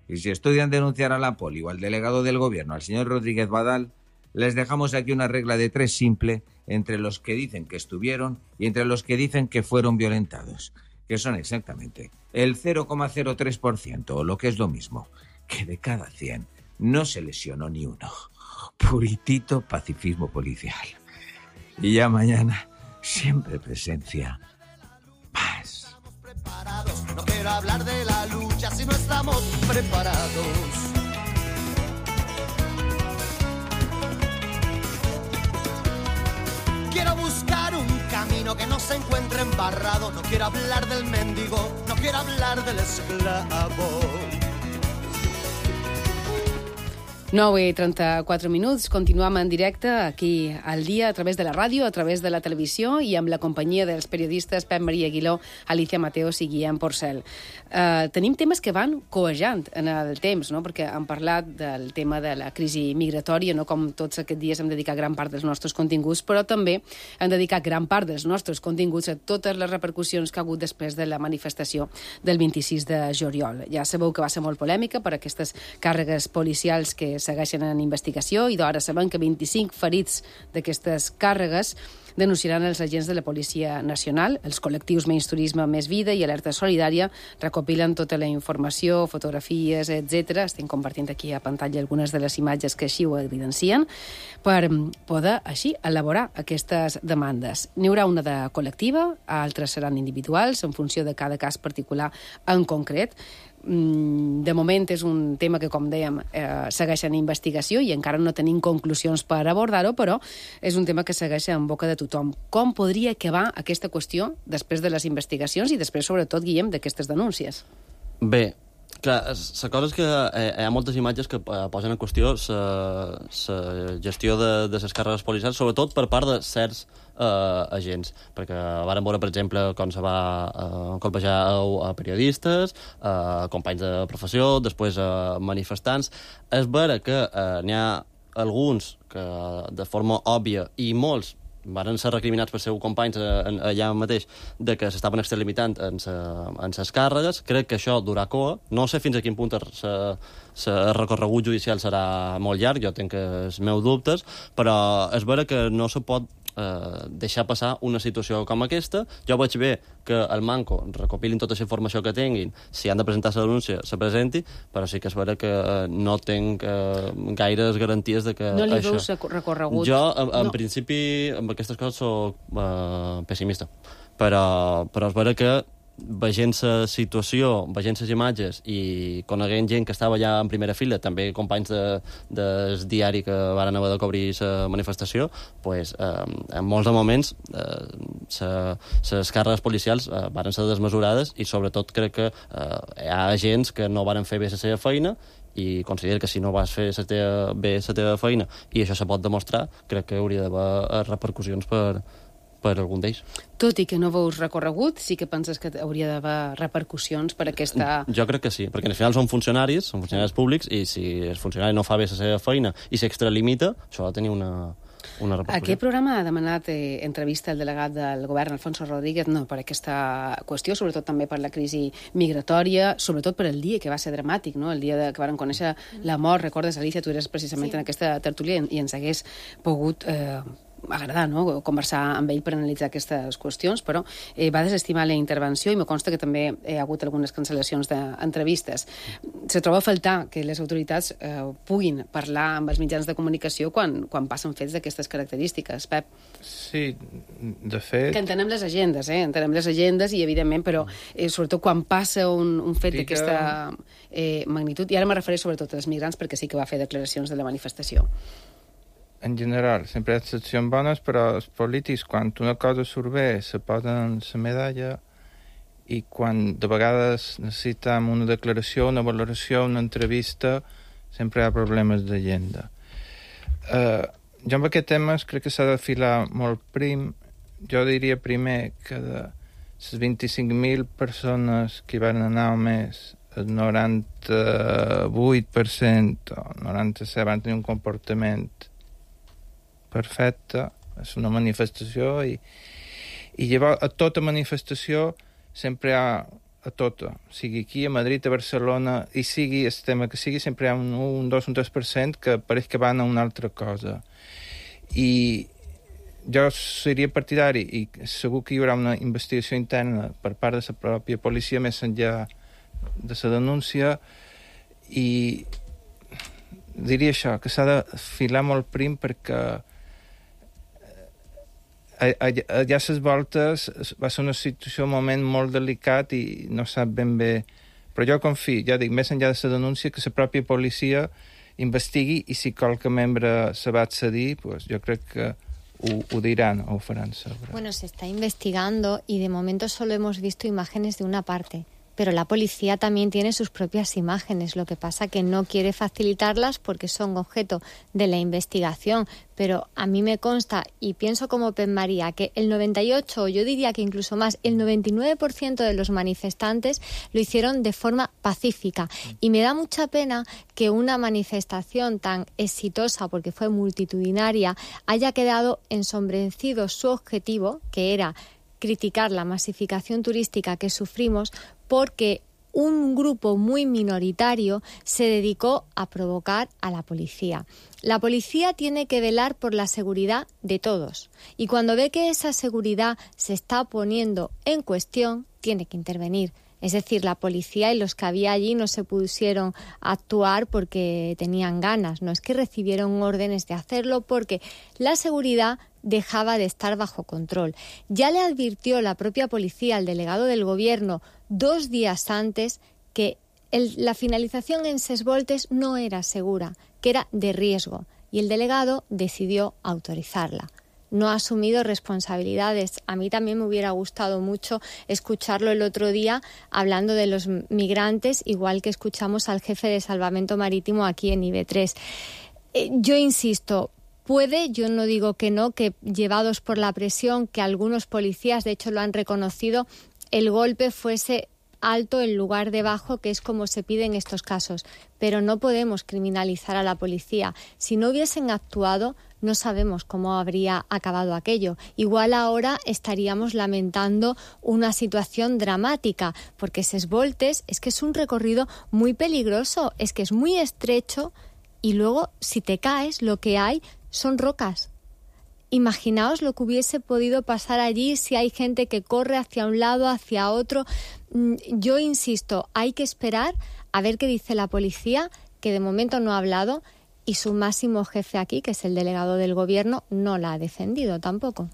Y si estudian denunciar a la poli o al delegado del gobierno, al señor Rodríguez Badal, les dejamos aquí una regla de 3 simple entre los que dicen que estuvieron y entre los que dicen que fueron violentados, que son exactamente el 0,03%, o lo que es lo mismo, que de cada 100 no se lesionó ni uno. Puritito pacifismo policial. Y ya mañana, siempre presencia, paz. No quiero hablar de la lucha si no estamos preparados. Quiero buscar un camino que no se encuentre embarrado. No quiero hablar del mendigo, no quiero hablar del esclavo. 9:34, continuem en directe aquí al dia a través de la ràdio, a través de la televisió i amb la companyia dels periodistes Pep Maria Aguiló, Alicia Mateos i Guillem Porcel. Tenim temes que van coejant en el temps, no? Perquè hem parlat del tema de la crisi migratòria, no? Com tots aquests dies hem dedicat gran part dels nostres continguts, però també hem dedicat gran part dels nostres continguts a totes les repercussions que ha hagut després de la manifestació del 26 de juliol. Ja sabeu que va ser molt polèmica per aquestes càrregues policials que segueixen en investigació i d'ara sabem que 25 ferits d'aquestes càrregues denunciaran els agents de la Policia Nacional. Els col·lectius Menys Turisme, Més Vida i Alerta Solidària recopilen tota la informació, fotografies, etc. Estem compartint aquí a pantalla algunes de les imatges que així ho evidencien per poder així elaborar aquestes demandes. N'hi haurà una de col·lectiva, altres seran individuals en funció de cada cas particular en concret. De moment és un tema que, com dèiem, segueix en investigació i encara no tenim conclusions per abordar-ho, però és un tema que segueix en boca de tothom. Com podria acabar aquesta qüestió després de les investigacions i després, sobretot, Guillem, d'aquestes denúncies? Bé, clar, la cosa és que hi ha moltes imatges que posen en qüestió la gestió de les càrregues policials, sobretot per part de certs agents, perquè vàrem veure, per exemple, com se va colpejar a periodistes, companys de professió, després manifestants. És vera que n'hi ha alguns que de forma òbvia, i molts van ser recriminats per seus companys allà mateix de que s'estaven extralimitant en ses càrregues. Crec que això durà coa. No sé fins a quin punt el recorregut judicial serà molt llarg, jo tinc els meus dubtes, però és vera que no se pot deixar passar una situació com aquesta. Jo veig bé que el Manco recopilin tota la informació que tinguin, si han de presentar la denúncia, se presenti, però sí que és vera que no tinc gaires garanties de que no li això... veus recorregut? Jo, en principi, amb aquestes coses soc pessimista, però és vera que veient la situació, veient les imatges i coneguent gent que estava allà en primera fila, també companys del diari que van haver de cobrir la manifestació, pues, en molts moments les càrregues policials van ser desmesurades i sobretot crec que hi ha agents que no van fer bé la seva feina i considero que si no vas fer bé la teva feina i això se pot demostrar, crec que hauria d'haver repercussions per algun d'ells. Tot i que no veus recorregut, sí que penses que hauria d'haver repercussions per aquesta... Jo crec que sí, perquè al final són funcionaris públics, i si el funcionari no fa bé la seva feina i s'extralimita, això ha de tenir una repercussió. Aquest programa ha demanat entrevista al delegat del govern, Alfonso Rodríguez, no, per aquesta qüestió, sobretot també per la crisi migratòria, sobretot per el dia que va ser dramàtic, no? El dia que varen conèixer la mort, recordes, Alicia, tu eres precisament en aquesta tertúlia i ens hagués pogut agradar, no?, conversar amb ell per analitzar aquestes qüestions, però va desestimar la intervenció i me consta que també hi ha hagut algunes cancel·lacions d'entrevistes. Se troba a faltar que les autoritats puguin parlar amb els mitjans de comunicació quan passen fets d'aquestes característiques. Pep? Sí, de fet... Que entenem les agendes, entenem les agendes i, evidentment, però sobretot quan passa un fet d'aquesta magnitud, i ara me refereixo sobretot als migrants perquè sí que va fer declaracions de la manifestació. En general, sempre hi ha excepcions bones, però els polítics, quan una cosa surt bé, se posen la medalla i quan de vegades necessitem una declaració, una valoració, una entrevista, sempre hi ha problemes d'agenda. Jo amb aquest tema crec que s'ha de filar molt prim. Jo diria primer que de les 25.000 persones que hi van anar només, el 98% o 97% van tenir un comportament perfecte, és una manifestació i llavors a tota manifestació sempre hi ha a tota, sigui aquí a Madrid, a Barcelona i sigui el tema que sigui, sempre hi ha un 2, un 3% que pareix que van a una altra cosa i jo seria partidari i segur que hi haurà una investigació interna per part de la pròpia policia més enllà de la denúncia i diria això, que s'ha de filar molt prim perquè allà a les voltes va ser una situació, un moment molt delicat i no sap ben bé Però jo confio, ja dic, més enllà de la denúncia, que la pròpia policia investigui i si qualque membre se va accedir, pues jo crec que ho dirán o farán saber. Bueno, se está investigando y de momento solo hemos visto imágenes de una parte. Pero la policía también tiene sus propias imágenes, lo que pasa que no quiere facilitarlas porque son objeto de la investigación. Pero a mí me consta, y pienso como Pep María, que el 98, yo diría que incluso más, el 99% de los manifestantes lo hicieron de forma pacífica. Y me da mucha pena que una manifestación tan exitosa, porque fue multitudinaria, haya quedado ensombrecido su objetivo, que era criticar la masificación turística que sufrimos, porque un grupo muy minoritario se dedicó a provocar a la policía. La policía tiene que velar por la seguridad de todos y cuando ve que esa seguridad se está poniendo en cuestión, tiene que intervenir. Es decir, la policía y los que había allí no se pusieron a actuar porque tenían ganas, no es que recibieron órdenes de hacerlo porque la seguridad dejaba de estar bajo control. Ya le advirtió la propia policía al delegado del gobierno 2 días antes que la finalización en Ses Voltes no era segura, que era de riesgo, y el delegado decidió autorizarla. No ha asumido responsabilidades. A mí también me hubiera gustado mucho escucharlo el otro día hablando de los migrantes, igual que escuchamos al jefe de Salvamento Marítimo aquí en IB3. Yo insisto, puede, yo no digo que no, que llevados por la presión, que algunos policías, de hecho lo han reconocido, el golpe fuese alto en lugar de bajo, que es como se pide en estos casos. Pero no podemos criminalizar a la policía. Si no hubiesen actuado, no sabemos cómo habría acabado aquello. Igual ahora estaríamos lamentando una situación dramática, porque Ses Voltes es que es un recorrido muy peligroso, es que es muy estrecho y luego si te caes lo que hay son rocas. Imaginaos lo que hubiese podido pasar allí si hay gente que corre hacia un lado, hacia otro. Yo insisto, hay que esperar a ver qué dice la policía, que de momento no ha hablado, y su máximo jefe aquí, que és el delegado del gobierno, no la ha defendido tampoco.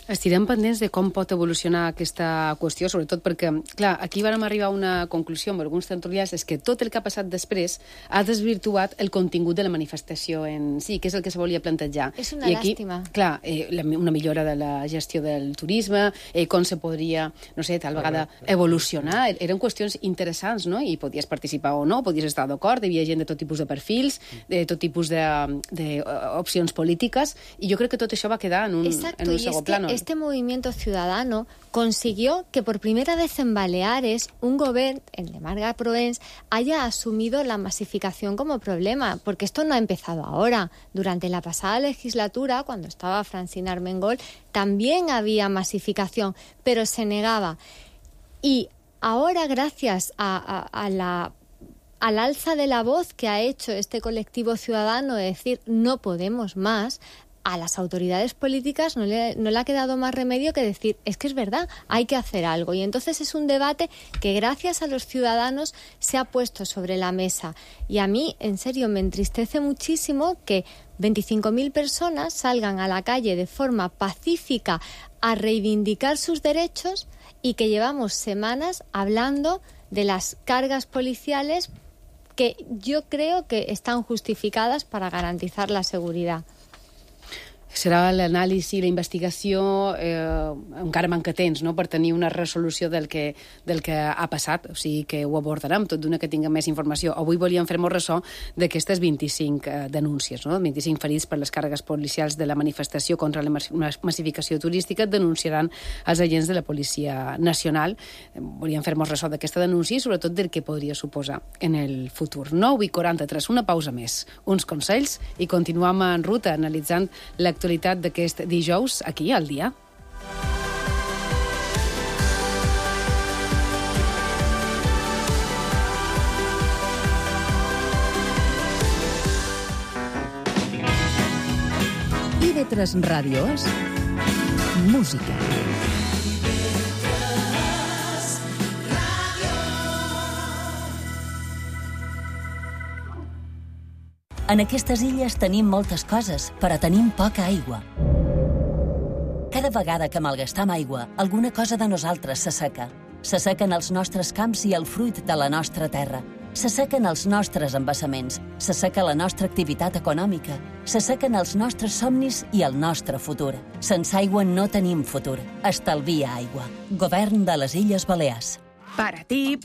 Estirem pendents de com pot evolucionar aquesta qüestió, sobretot perquè, clar, aquí vam arribar a una conclusió amb alguns tertulians, és que tot el que ha passat després ha desvirtuat el contingut de la manifestació en si, que és el que se volia plantejar. És una llàstima. Clar, una millora de la gestió del turisme, com se podria, no sé, tal vegada evolucionar. Eren qüestions interessants, no? I podies participar o no, podies estar d'acord, hi havia gent de tot tipus de perfils, de tot tipus d'opcions polítiques, i jo crec que tot això va quedar en un segon plano. Este movimiento ciudadano consiguió que por primera vez en Baleares un gobierno, el de Marga Proens, haya asumido la masificación como problema, porque esto no ha empezado ahora. Durante la pasada legislatura, cuando estaba Francina Armengol, también había masificación, pero se negaba. Y ahora, gracias al alza de la voz que ha hecho este colectivo ciudadano de decir no podemos más, a las autoridades políticas no le ha quedado más remedio que decir, es que es verdad, hay que hacer algo. Y entonces es un debate que gracias a los ciudadanos se ha puesto sobre la mesa. Y a mí, en serio, me entristece muchísimo que 25.000 personas salgan a la calle de forma pacífica a reivindicar sus derechos y que llevamos semanas hablando de las cargas policiales que yo creo que están justificadas para garantizar la seguridad. Serà l'anàlisi, la investigació, encara manca temps, no?, per tenir una resolució del que ha passat, o sigui que ho abordarem tot d'una que tinguem més informació. Avui volíem fer-nos ressò d'aquestes 25 denúncies, no?, 25 ferits per les càrregues policials de la manifestació contra la massificació turística denunciaran els agents de la Policia Nacional. Volíem fer-nos ressò d'aquesta denúncia i sobretot del que podria suposar en el futur. 9:43, una pausa més, uns consells i continuem en ruta analitzant l'actualitat d'aquest dijous aquí al Dia. IB3 Ràdio és música. En aquestes illes tenim moltes coses, però tenim poca aigua. Cada vegada que malgastam aigua, alguna cosa de nosaltres s'asseca. S'assequen els nostres camps i el fruit de la nostra terra. S'assequen els nostres embassaments, s'asseca la nostra activitat econòmica, s'assequen els nostres somnis i el nostre futur. Sense aigua no tenim futur. Estalvia aigua. Govern de les Illes Balears. Para ti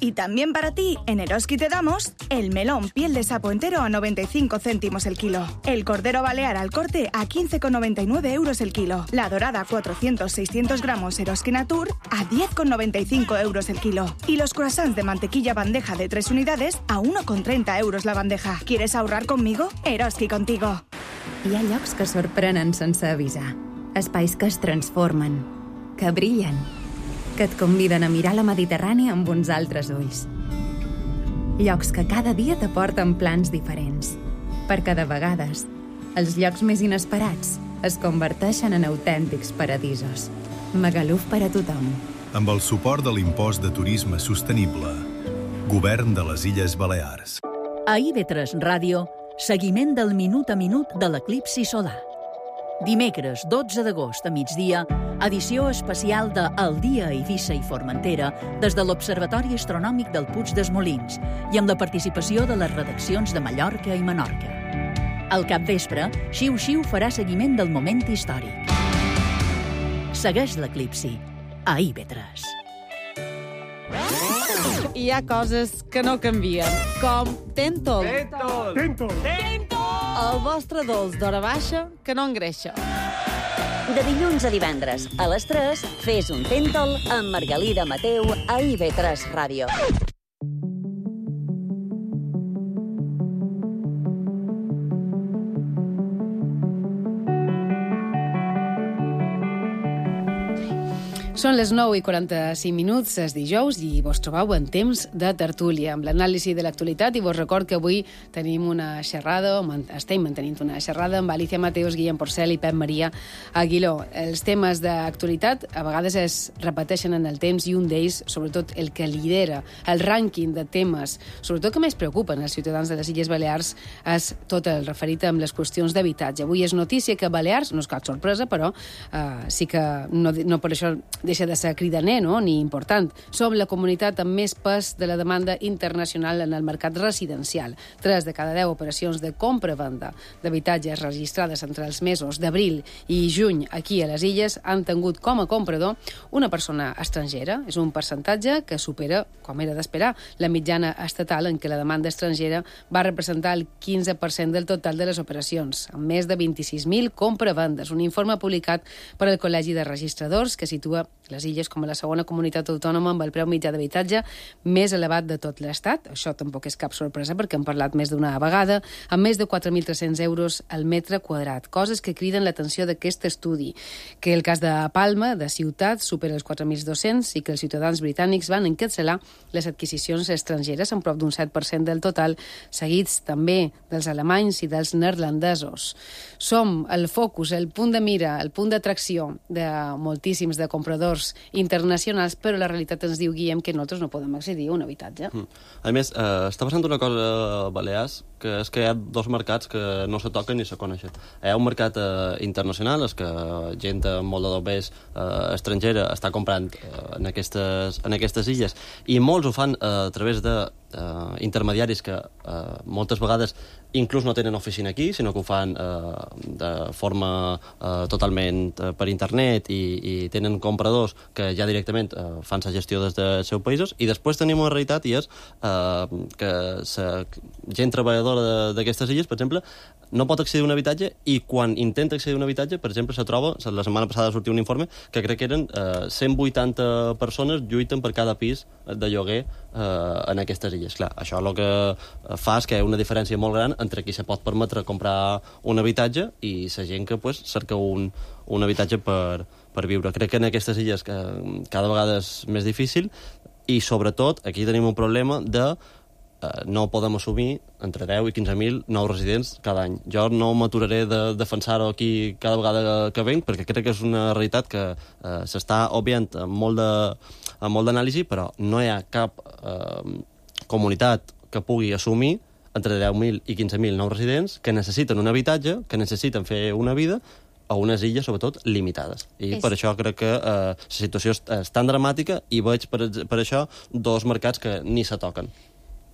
y también para ti, en Eroski te damos el melón piel de sapo entero a 95 céntimos el kilo, el cordero balear al corte a 15,99 euros el kilo, la dorada 400-600 gramos Eroski Natur a 10,95 euros el kilo y los croissants de mantequilla bandeja de 3 unidades a 1,30 euros la bandeja. ¿Quieres ahorrar conmigo? Eroski contigo. Hi ha llocs que sorprenen sense avisar, espais que es transformen, que brillen, que et conviden a mirar la Mediterrània amb uns altres ulls. Llocs que cada dia t'aporten plans diferents, perquè de vegades els llocs més inesperats es converteixen en autèntics paradisos. Magaluf per a tothom. Amb el suport de l'impost de turisme sostenible. Govern de les Illes Balears. A IB3 Ràdio, seguiment del minut a minut de l'eclipsi solar. Dimecres 12 d'agost a migdia, edició especial de El dia a Eivissa i Formentera des de l'Observatori Astronòmic del Puig dels Molins i amb la participació de les redaccions de Mallorca i Menorca. Al capvespre, Xiu Xiu farà seguiment del moment històric. Segueix l'eclipsi a IB3. Hi ha coses que no canvien, com Tentol. Tentol! El vostre dolç d'hora baixa que no engreixa. De dilluns a divendres, a les 3, fes un Tentol amb Margalida Mateu a IB3 Ràdio. Són les 9:45, és dijous, i vos trobeu en temps de tertúlia, amb l'anàlisi de l'actualitat, i vos record que avui tenim una xerrada, estem mantenint una xerrada amb Alicia Mateos, Guillem Porcel i Pep Maria Aguiló. Els temes d'actualitat a vegades es repeteixen en el temps, i un d'ells, sobretot el que lidera el rànquing de temes, sobretot que més preocupen els ciutadans de les Illes Balears, és tot el referit amb les qüestions d'habitatge. Avui és notícia que Balears, no és cap sorpresa, però sí que no per això deixa de ser cridaner, no? Ni important. Som la comunitat amb més pes de la demanda internacional en el mercat residencial. 3 de cada 10 operacions de compra-venda d'habitatges registrades entre els mesos d'abril i juny aquí a les Illes han tingut com a comprador una persona estrangera. És un percentatge que supera, com era d'esperar, la mitjana estatal, en què la demanda estrangera va representar el 15% del total de les operacions, amb més de 26.000 compra-vendes. Un informe publicat per al Col·legi de Registradors que situa les Illes com a la segona comunitat autònoma amb el preu mitjà d'habitatge més elevat de tot l'Estat. Això tampoc és cap sorpresa, perquè hem parlat més d'una vegada, amb més de 4.300 euros al metre quadrat. Coses que criden l'atenció d'aquest estudi, que el cas de Palma, de Ciutat, supera els 4.200 i que els ciutadans britànics van encapçalar les adquisicions estrangeres amb prop d'un 7% del total, seguits també dels alemanys i dels neerlandesos. Som el focus, el punt de mira, el punt d'atracció de moltíssims de compradors internacionals, però la realitat ens diu, Guillem, que nosaltres no podem accedir a un habitatge. A més, està passant una cosa a Balears, que és que hi ha dos mercats que no se toquen ni se coneixen. Hi ha un mercat internacional, és que gent amb molt de doblers estrangera està comprant en aquestes illes, i molts ho fan a través de intermediaris que moltes vegades inclús no tenen oficina aquí, sinó que ho fan de forma totalment per internet, i tenen compradors que ja directament fan la gestió des dels seus països. I després tenim una realitat, i és que gent treballadora d'aquestes illes, per exemple, no pot accedir a un habitatge, i quan intenta accedir a un habitatge, per exemple, se troba, la setmana passada sortia un informe que crec que eren 180 persones lluiten per cada pis de lloguer en aquestes illes. Clar, això el que fa és que hi ha una diferència molt gran entre qui se pot permetre comprar un habitatge i la gent que cerca un habitatge per viure. Crec que en aquestes illes cada vegada és més difícil, i sobretot aquí tenim un problema de no podem assumir entre 10 i 15.000 nous residents cada any. Jo no m'aturaré de defensar-ho aquí cada vegada que venc, perquè crec que és una realitat que s'està obviant amb molt d'anàlisi, però no hi ha cap comunitat que pugui assumir entre 10.000 i 15.000 nous residents que necessiten un habitatge, que necessiten fer una vida, a unes illes, sobretot, limitades. I per això crec que la situació és tan dramàtica i veig per això dos mercats que ni se toquen.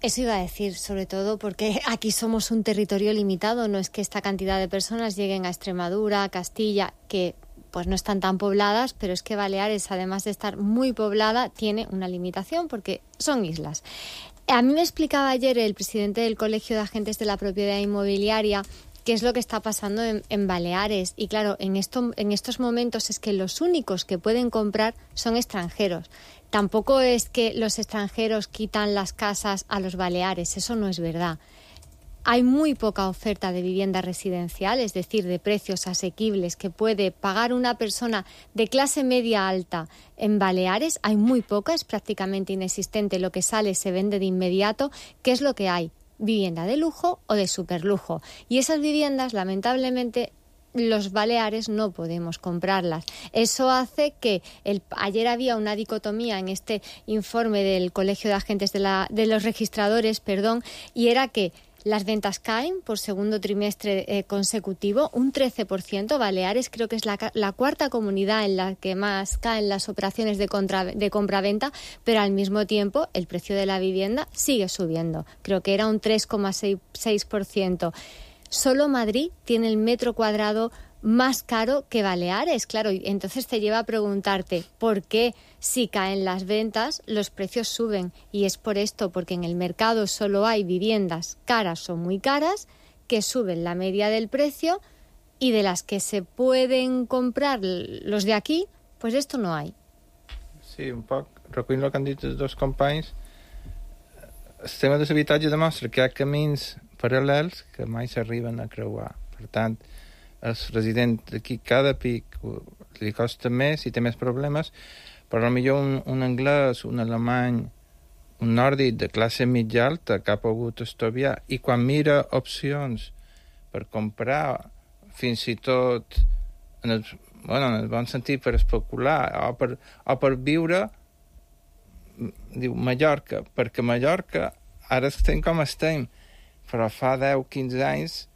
Eso iba a decir, sobre todo porque aquí somos un territorio limitado, no es que esta cantidad de personas lleguen a Extremadura, a Castilla, que pues no están tan pobladas, pero es que Baleares, además de estar muy poblada, tiene una limitación porque son islas. A mí me explicaba ayer el presidente del Colegio de Agentes de la Propiedad Inmobiliaria qué es lo que está pasando en Baleares. Y claro, en estos momentos es que los únicos que pueden comprar son extranjeros. Tampoco es que los extranjeros quitan las casas a los baleares, eso no es verdad. Hay muy poca oferta de vivienda residencial, es decir, de precios asequibles que puede pagar una persona de clase media alta en Baleares. Hay muy poca, es prácticamente inexistente. Lo que sale se vende de inmediato. ¿Qué es lo que hay? Vivienda de lujo o de superlujo. Y esas viviendas, lamentablemente, los baleares no podemos comprarlas. Eso hace que ayer había una dicotomía en este informe del Colegio de Agentes de los Registradores, y era que las ventas caen por segundo trimestre consecutivo, un 13%. Baleares creo que es la cuarta comunidad en la que más caen las operaciones de compra-venta, pero al mismo tiempo el precio de la vivienda sigue subiendo. Creo que era un 3,6%. Solo Madrid tiene el metro cuadrado más caro que Baleares, claro, y entonces te lleva a preguntarte por qué si caen las ventas los precios suben, y es por esto, porque en el mercado solo hay viviendas caras o muy caras que suben la media del precio, y de las que se pueden comprar los de aquí, pues esto no hay. Sí, un poc recollint el que han dit els dos companys, el tema de l'habitatge demostra que hi ha camins paral·lels que mai s'arriben a creuar. Per tant, el resident d'aquí cada pic li costa més i té més problemes, però potser un anglès, un alemany, un nòrdic de classe mitja alta que ha pogut estudiar i quan mira opcions per comprar, fins i tot en el bon sentit per especular o per viure, diu Mallorca, perquè Mallorca ara estem com estem, però fa 10-15 anys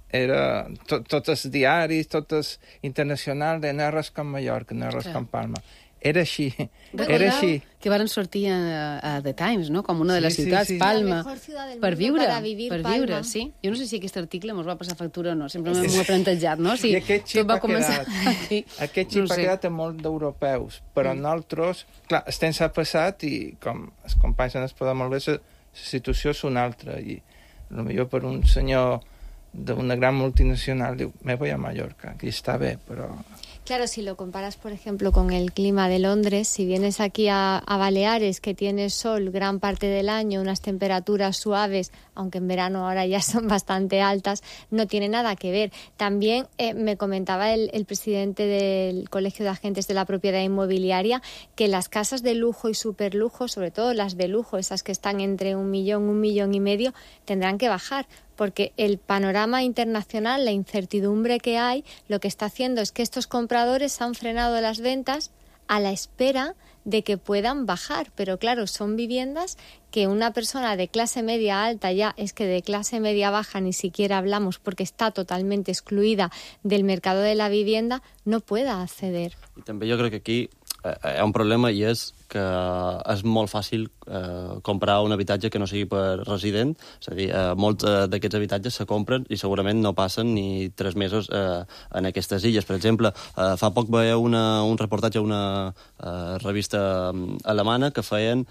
era tots els diaris, tots els internacionals de no res com Mallorca, no res com Palma. Era així, era així. Que van sortir a The Times, no? Com una de les ciutats, Palma, per viure, sí. Jo no sé si aquest article mos va passar factura o no, sempre m'ho he plantejat, no? I aquest xip ha quedat a molt d'europeus, però nosaltres, clar, estem s'ha passat i com els companys han explicat molt bé, la situació és una altra, i potser per un senyor d'una gran multinacional diu, me voy a Mallorca, que está bien, pero... Claro, si lo comparas, por ejemplo, con el clima de Londres, si vienes aquí a Baleares, que tiene sol gran parte del año, unas temperaturas suaves, aunque en verano ahora ya son bastante altas, no tiene nada que ver. También me comentaba el presidente del Colegio de Agentes de la Propiedad Inmobiliaria que las casas de lujo y superlujo, sobre todo las de lujo, esas que están entre 1 millón, 1,5 millones, tendrán que bajar, porque el panorama internacional, la incertidumbre que hay, lo que está haciendo es que estos compradores han frenado las ventas a la espera de que puedan bajar. Pero claro, son viviendas que una persona de clase media alta, ya es que de clase media baja ni siquiera hablamos porque está totalmente excluida del mercado de la vivienda, no pueda acceder. I també jo crec que aquí hi ha un problema, i és que és molt fàcil comprar un habitatge que no sigui per resident. És a dir, molts d'aquests habitatges se compren i segurament no passen ni 3 mesos en aquestes illes. Per exemple, fa poc veia un reportatge a una revista alemana que feien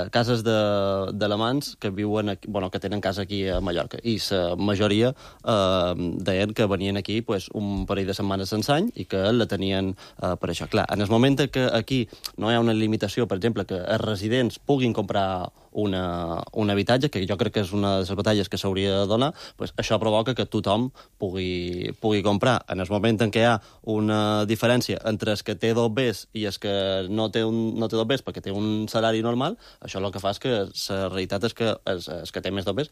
cases d'alemans que viuen aquí, que tenen casa aquí a Mallorca, i la majoria deien que venien aquí un parell de setmanes sense any i que la tenien per això. Clar, en el moment que aquí no hi ha una limitació, per exemple, que els residents puguin comprar un habitatge, que jo crec que és una de les batalles que s'hauria de donar, això provoca que tothom pugui comprar. En el moment en què hi ha una diferència entre el que té 2 Bs i el que no té 2 Bs perquè té un salari normal, això el que fa és que la realitat és que el que té més 2 Bs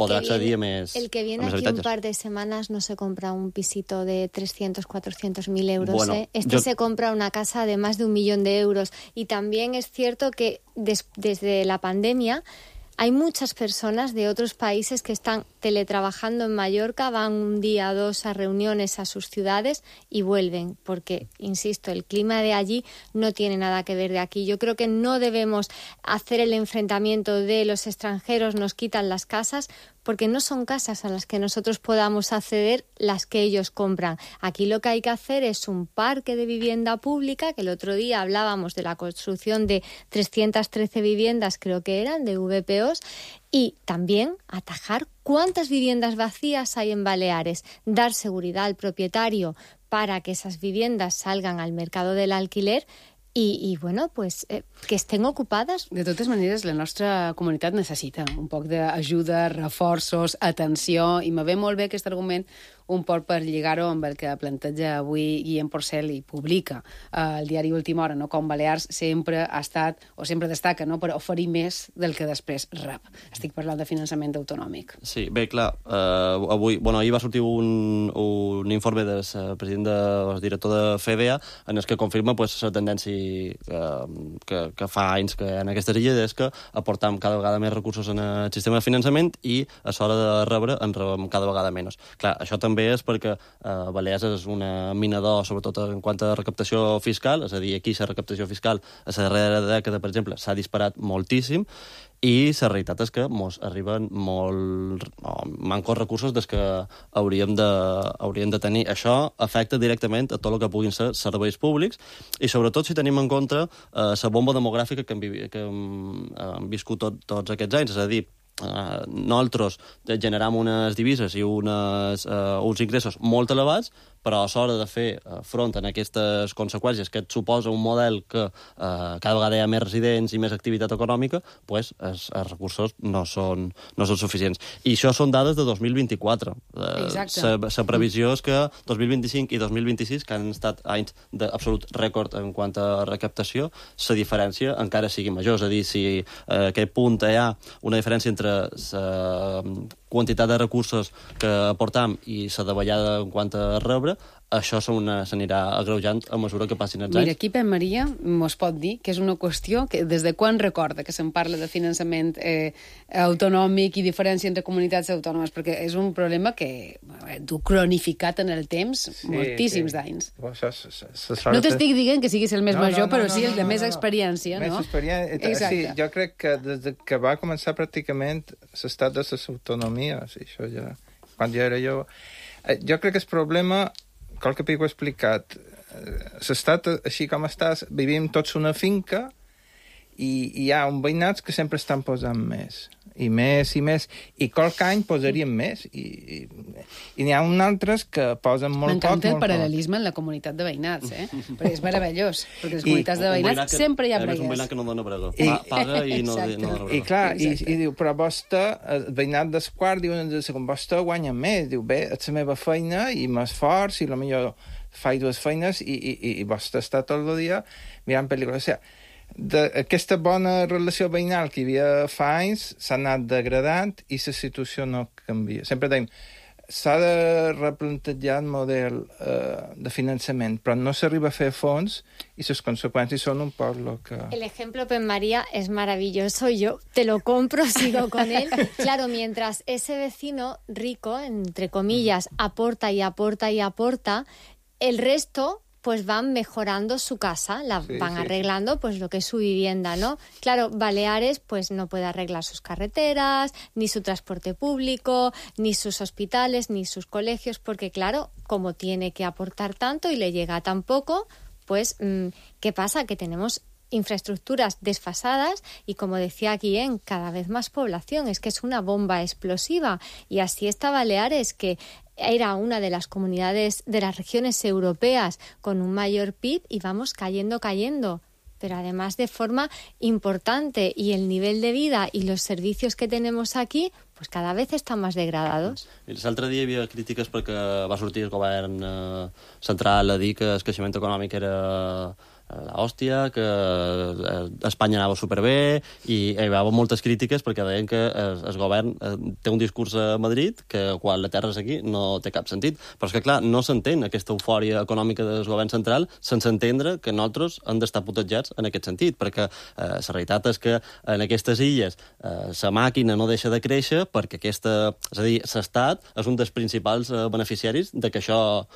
podrà accedir a més habitatges. El que viene aquí un par de semanas no se compra un pisito de 300-400.000 euros. Bueno, se compra una casa de más de 1 millón de euros. Y también es cierto que desde la pandemia hay muchas personas de otros países que están teletrabajando en Mallorca, van un día o dos a reuniones a sus ciudades y vuelven, porque, insisto, el clima de allí no tiene nada que ver de aquí. Yo creo que no debemos hacer el enfrentamiento de los extranjeros nos quitan las casas, porque no son casas a las que nosotros podamos acceder las que ellos compran. Aquí lo que hay que hacer es un parque de vivienda pública, que el otro día hablábamos de la construcción de 313 viviendas, creo que eran, de VPOs, y también atajar cuántas viviendas vacías hay en Baleares, dar seguridad al propietario para que esas viviendas salgan al mercado del alquiler i bueno, pues, que estén ocupades. De totes maneres, la nostra comunitat necessita un poc d'ajuda, reforços, atenció, i me ve molt bé aquest argument un poc per lligar-ho amb el que planteja avui Guillem Porcel i publica al diari Última Hora, no? Com Balears sempre ha estat, o sempre destaca, no? Per oferir més del que després rep. Estic parlant de finançament autonòmic. Sí, bé, clar, ahir va sortir un informe del president del director de FEDEA en el que confirma la tendència que fa anys que en aquestes illes és que aportam cada vegada més recursos en el sistema de finançament i a l'hora de rebre en rebem cada vegada menys. Clar, això també és perquè Balears és una mina d'or, sobretot en quant a recaptació fiscal, és a dir, aquí la recaptació fiscal a la darrera dècada, per exemple, s'ha disparat moltíssim, i la realitat és que ens arriben mancos recursos des que hauríem de tenir. Això afecta directament a tot el que puguin ser serveis públics i sobretot si tenim en compte la bomba demogràfica que hem viscut tots aquests anys, és a dir, nosaltres generam unes divises i uns ingressos molt elevats, però a l'hora de fer front a aquestes conseqüències que et suposa un model que cada vegada hi ha més residents i més activitat econòmica, doncs els recursos no són suficients. I això són dades de 2024. La previsió és que 2025 i 2026, que han estat anys d'absolut rècord en quant a recaptació, la diferència encara sigui major. És a dir, si a aquest punt hi ha una diferència entre la quantitat de recursos que aportam i la davallada en quant a rebre, això s'anirà agreujant a mesura que passin els anys. Mira, aquí Pep Maria mos pot dir que és una qüestió que des de quan recorda que se'n parla de finançament autonòmic i diferència entre comunitats autònomes, perquè és un problema que du cronificat en el temps moltíssims d'anys. No t'estic dient que siguis el més major, però sí el de més experiència, no? Més experiència. Sí, jo crec que des que va començar pràcticament l'estat de les autonomies, això ja, quan ja era jo crec que el problema, qual que ho he explicat, l'estat, així com estàs, vivim tots una finca i hi ha uns veïnats que sempre estan posant més, i qualque any posaríem més, i n'hi ha uns altres que posen molt poc. M'encanta el paral·lelisme en la comunitat de veïnats, perquè és meravellós, perquè les comunitats de veïnats sempre hi ha bregues. És un veïnat que no dona brega, paga i no dona brega. I clar, i diu, però vostè, el veïnat del quart, diuen, vostè guanya més, diu, bé, és la meva feina i m'esforç, i potser faig dues feines, i vostè està tot el dia mirant pel·lícules. O sigui, aquesta bona relació veïnal que hi havia fa anys s'ha anat degradant i la situació no canvia. Sempre dèiem, s'ha de replantejar el model de finançament, però no s'arriba a fer a fons y sus consecuencias son un poc lo que... El ejemplo, Pep María, es maravilloso. Yo te lo compro, sigo con él. Claro, mientras ese vecino rico, entre comillas, aporta y aporta y aporta, el resto pues van mejorando su casa, van arreglando pues lo que es su vivienda, ¿no? Claro, Baleares pues no puede arreglar sus carreteras, ni su transporte público, ni sus hospitales, ni sus colegios, porque claro, como tiene que aportar tanto y le llega tan poco, pues ¿qué pasa? Que tenemos infraestructuras desfasadas y, como decía Guillén, cada vez más población. Es que es una bomba explosiva. Y así está Baleares, que era una de las comunidades de las regiones europeas con un mayor PIB y vamos cayendo, pero además de forma importante, y el nivel de vida y los servicios que tenemos aquí pues cada vez están más degradados. L'altre dia hi havia crítiques perquè va sortir el govern central a dir que el creixement econòmic era l'hòstia, que Espanya anava superbé, i hi havia moltes crítiques perquè deien que el govern té un discurs a Madrid que quan la terra és aquí no té cap sentit. Però és que, clar, no s'entén aquesta eufòria econòmica del govern central sense entendre que nosaltres hem d'estar protegits en aquest sentit, perquè la realitat és que en aquestes illes la màquina no deixa de créixer perquè és a dir, l'Estat és un dels principals beneficiaris de que això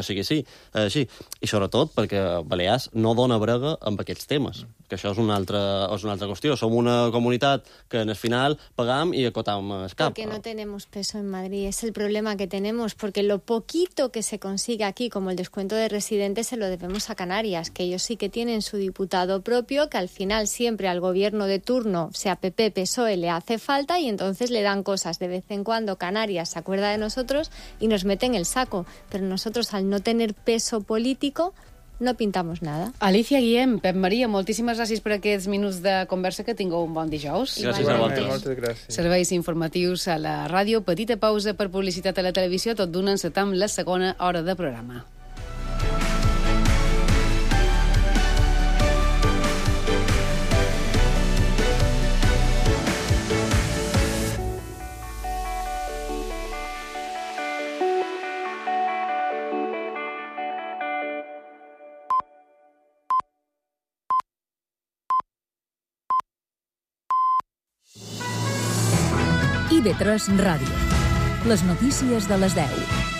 sigui així. I sobretot perquè Balears no dona brega amb aquests temes, que això és una altra qüestió. Som una comunitat que en el final pagam i acotam el cap. Porque no tenemos peso en Madrid, es el problema que tenemos, porque lo poquito que se consigue aquí, como el descuento de residentes, se lo debemos a Canarias, que ellos sí que tienen su diputado propio, que al final siempre al gobierno de turno, sea PP, PSOE, le hace falta y entonces le dan cosas. De vez en cuando Canarias se acuerda de nosotros y nos mete en el saco, pero nosotros al no tener peso político no pintamos nada. Alicia Guillem, Pep Maria, moltíssimes gràcies per aquests minuts de conversa, que tingueu un bon dijous. Gràcies a vosaltres. Moltes gràcies. Serveis informatius a la ràdio, petita pausa per publicitat a la televisió, tot d'una encetam la segona hora de programa. IB3 Ràdio. Les notícies de les 10.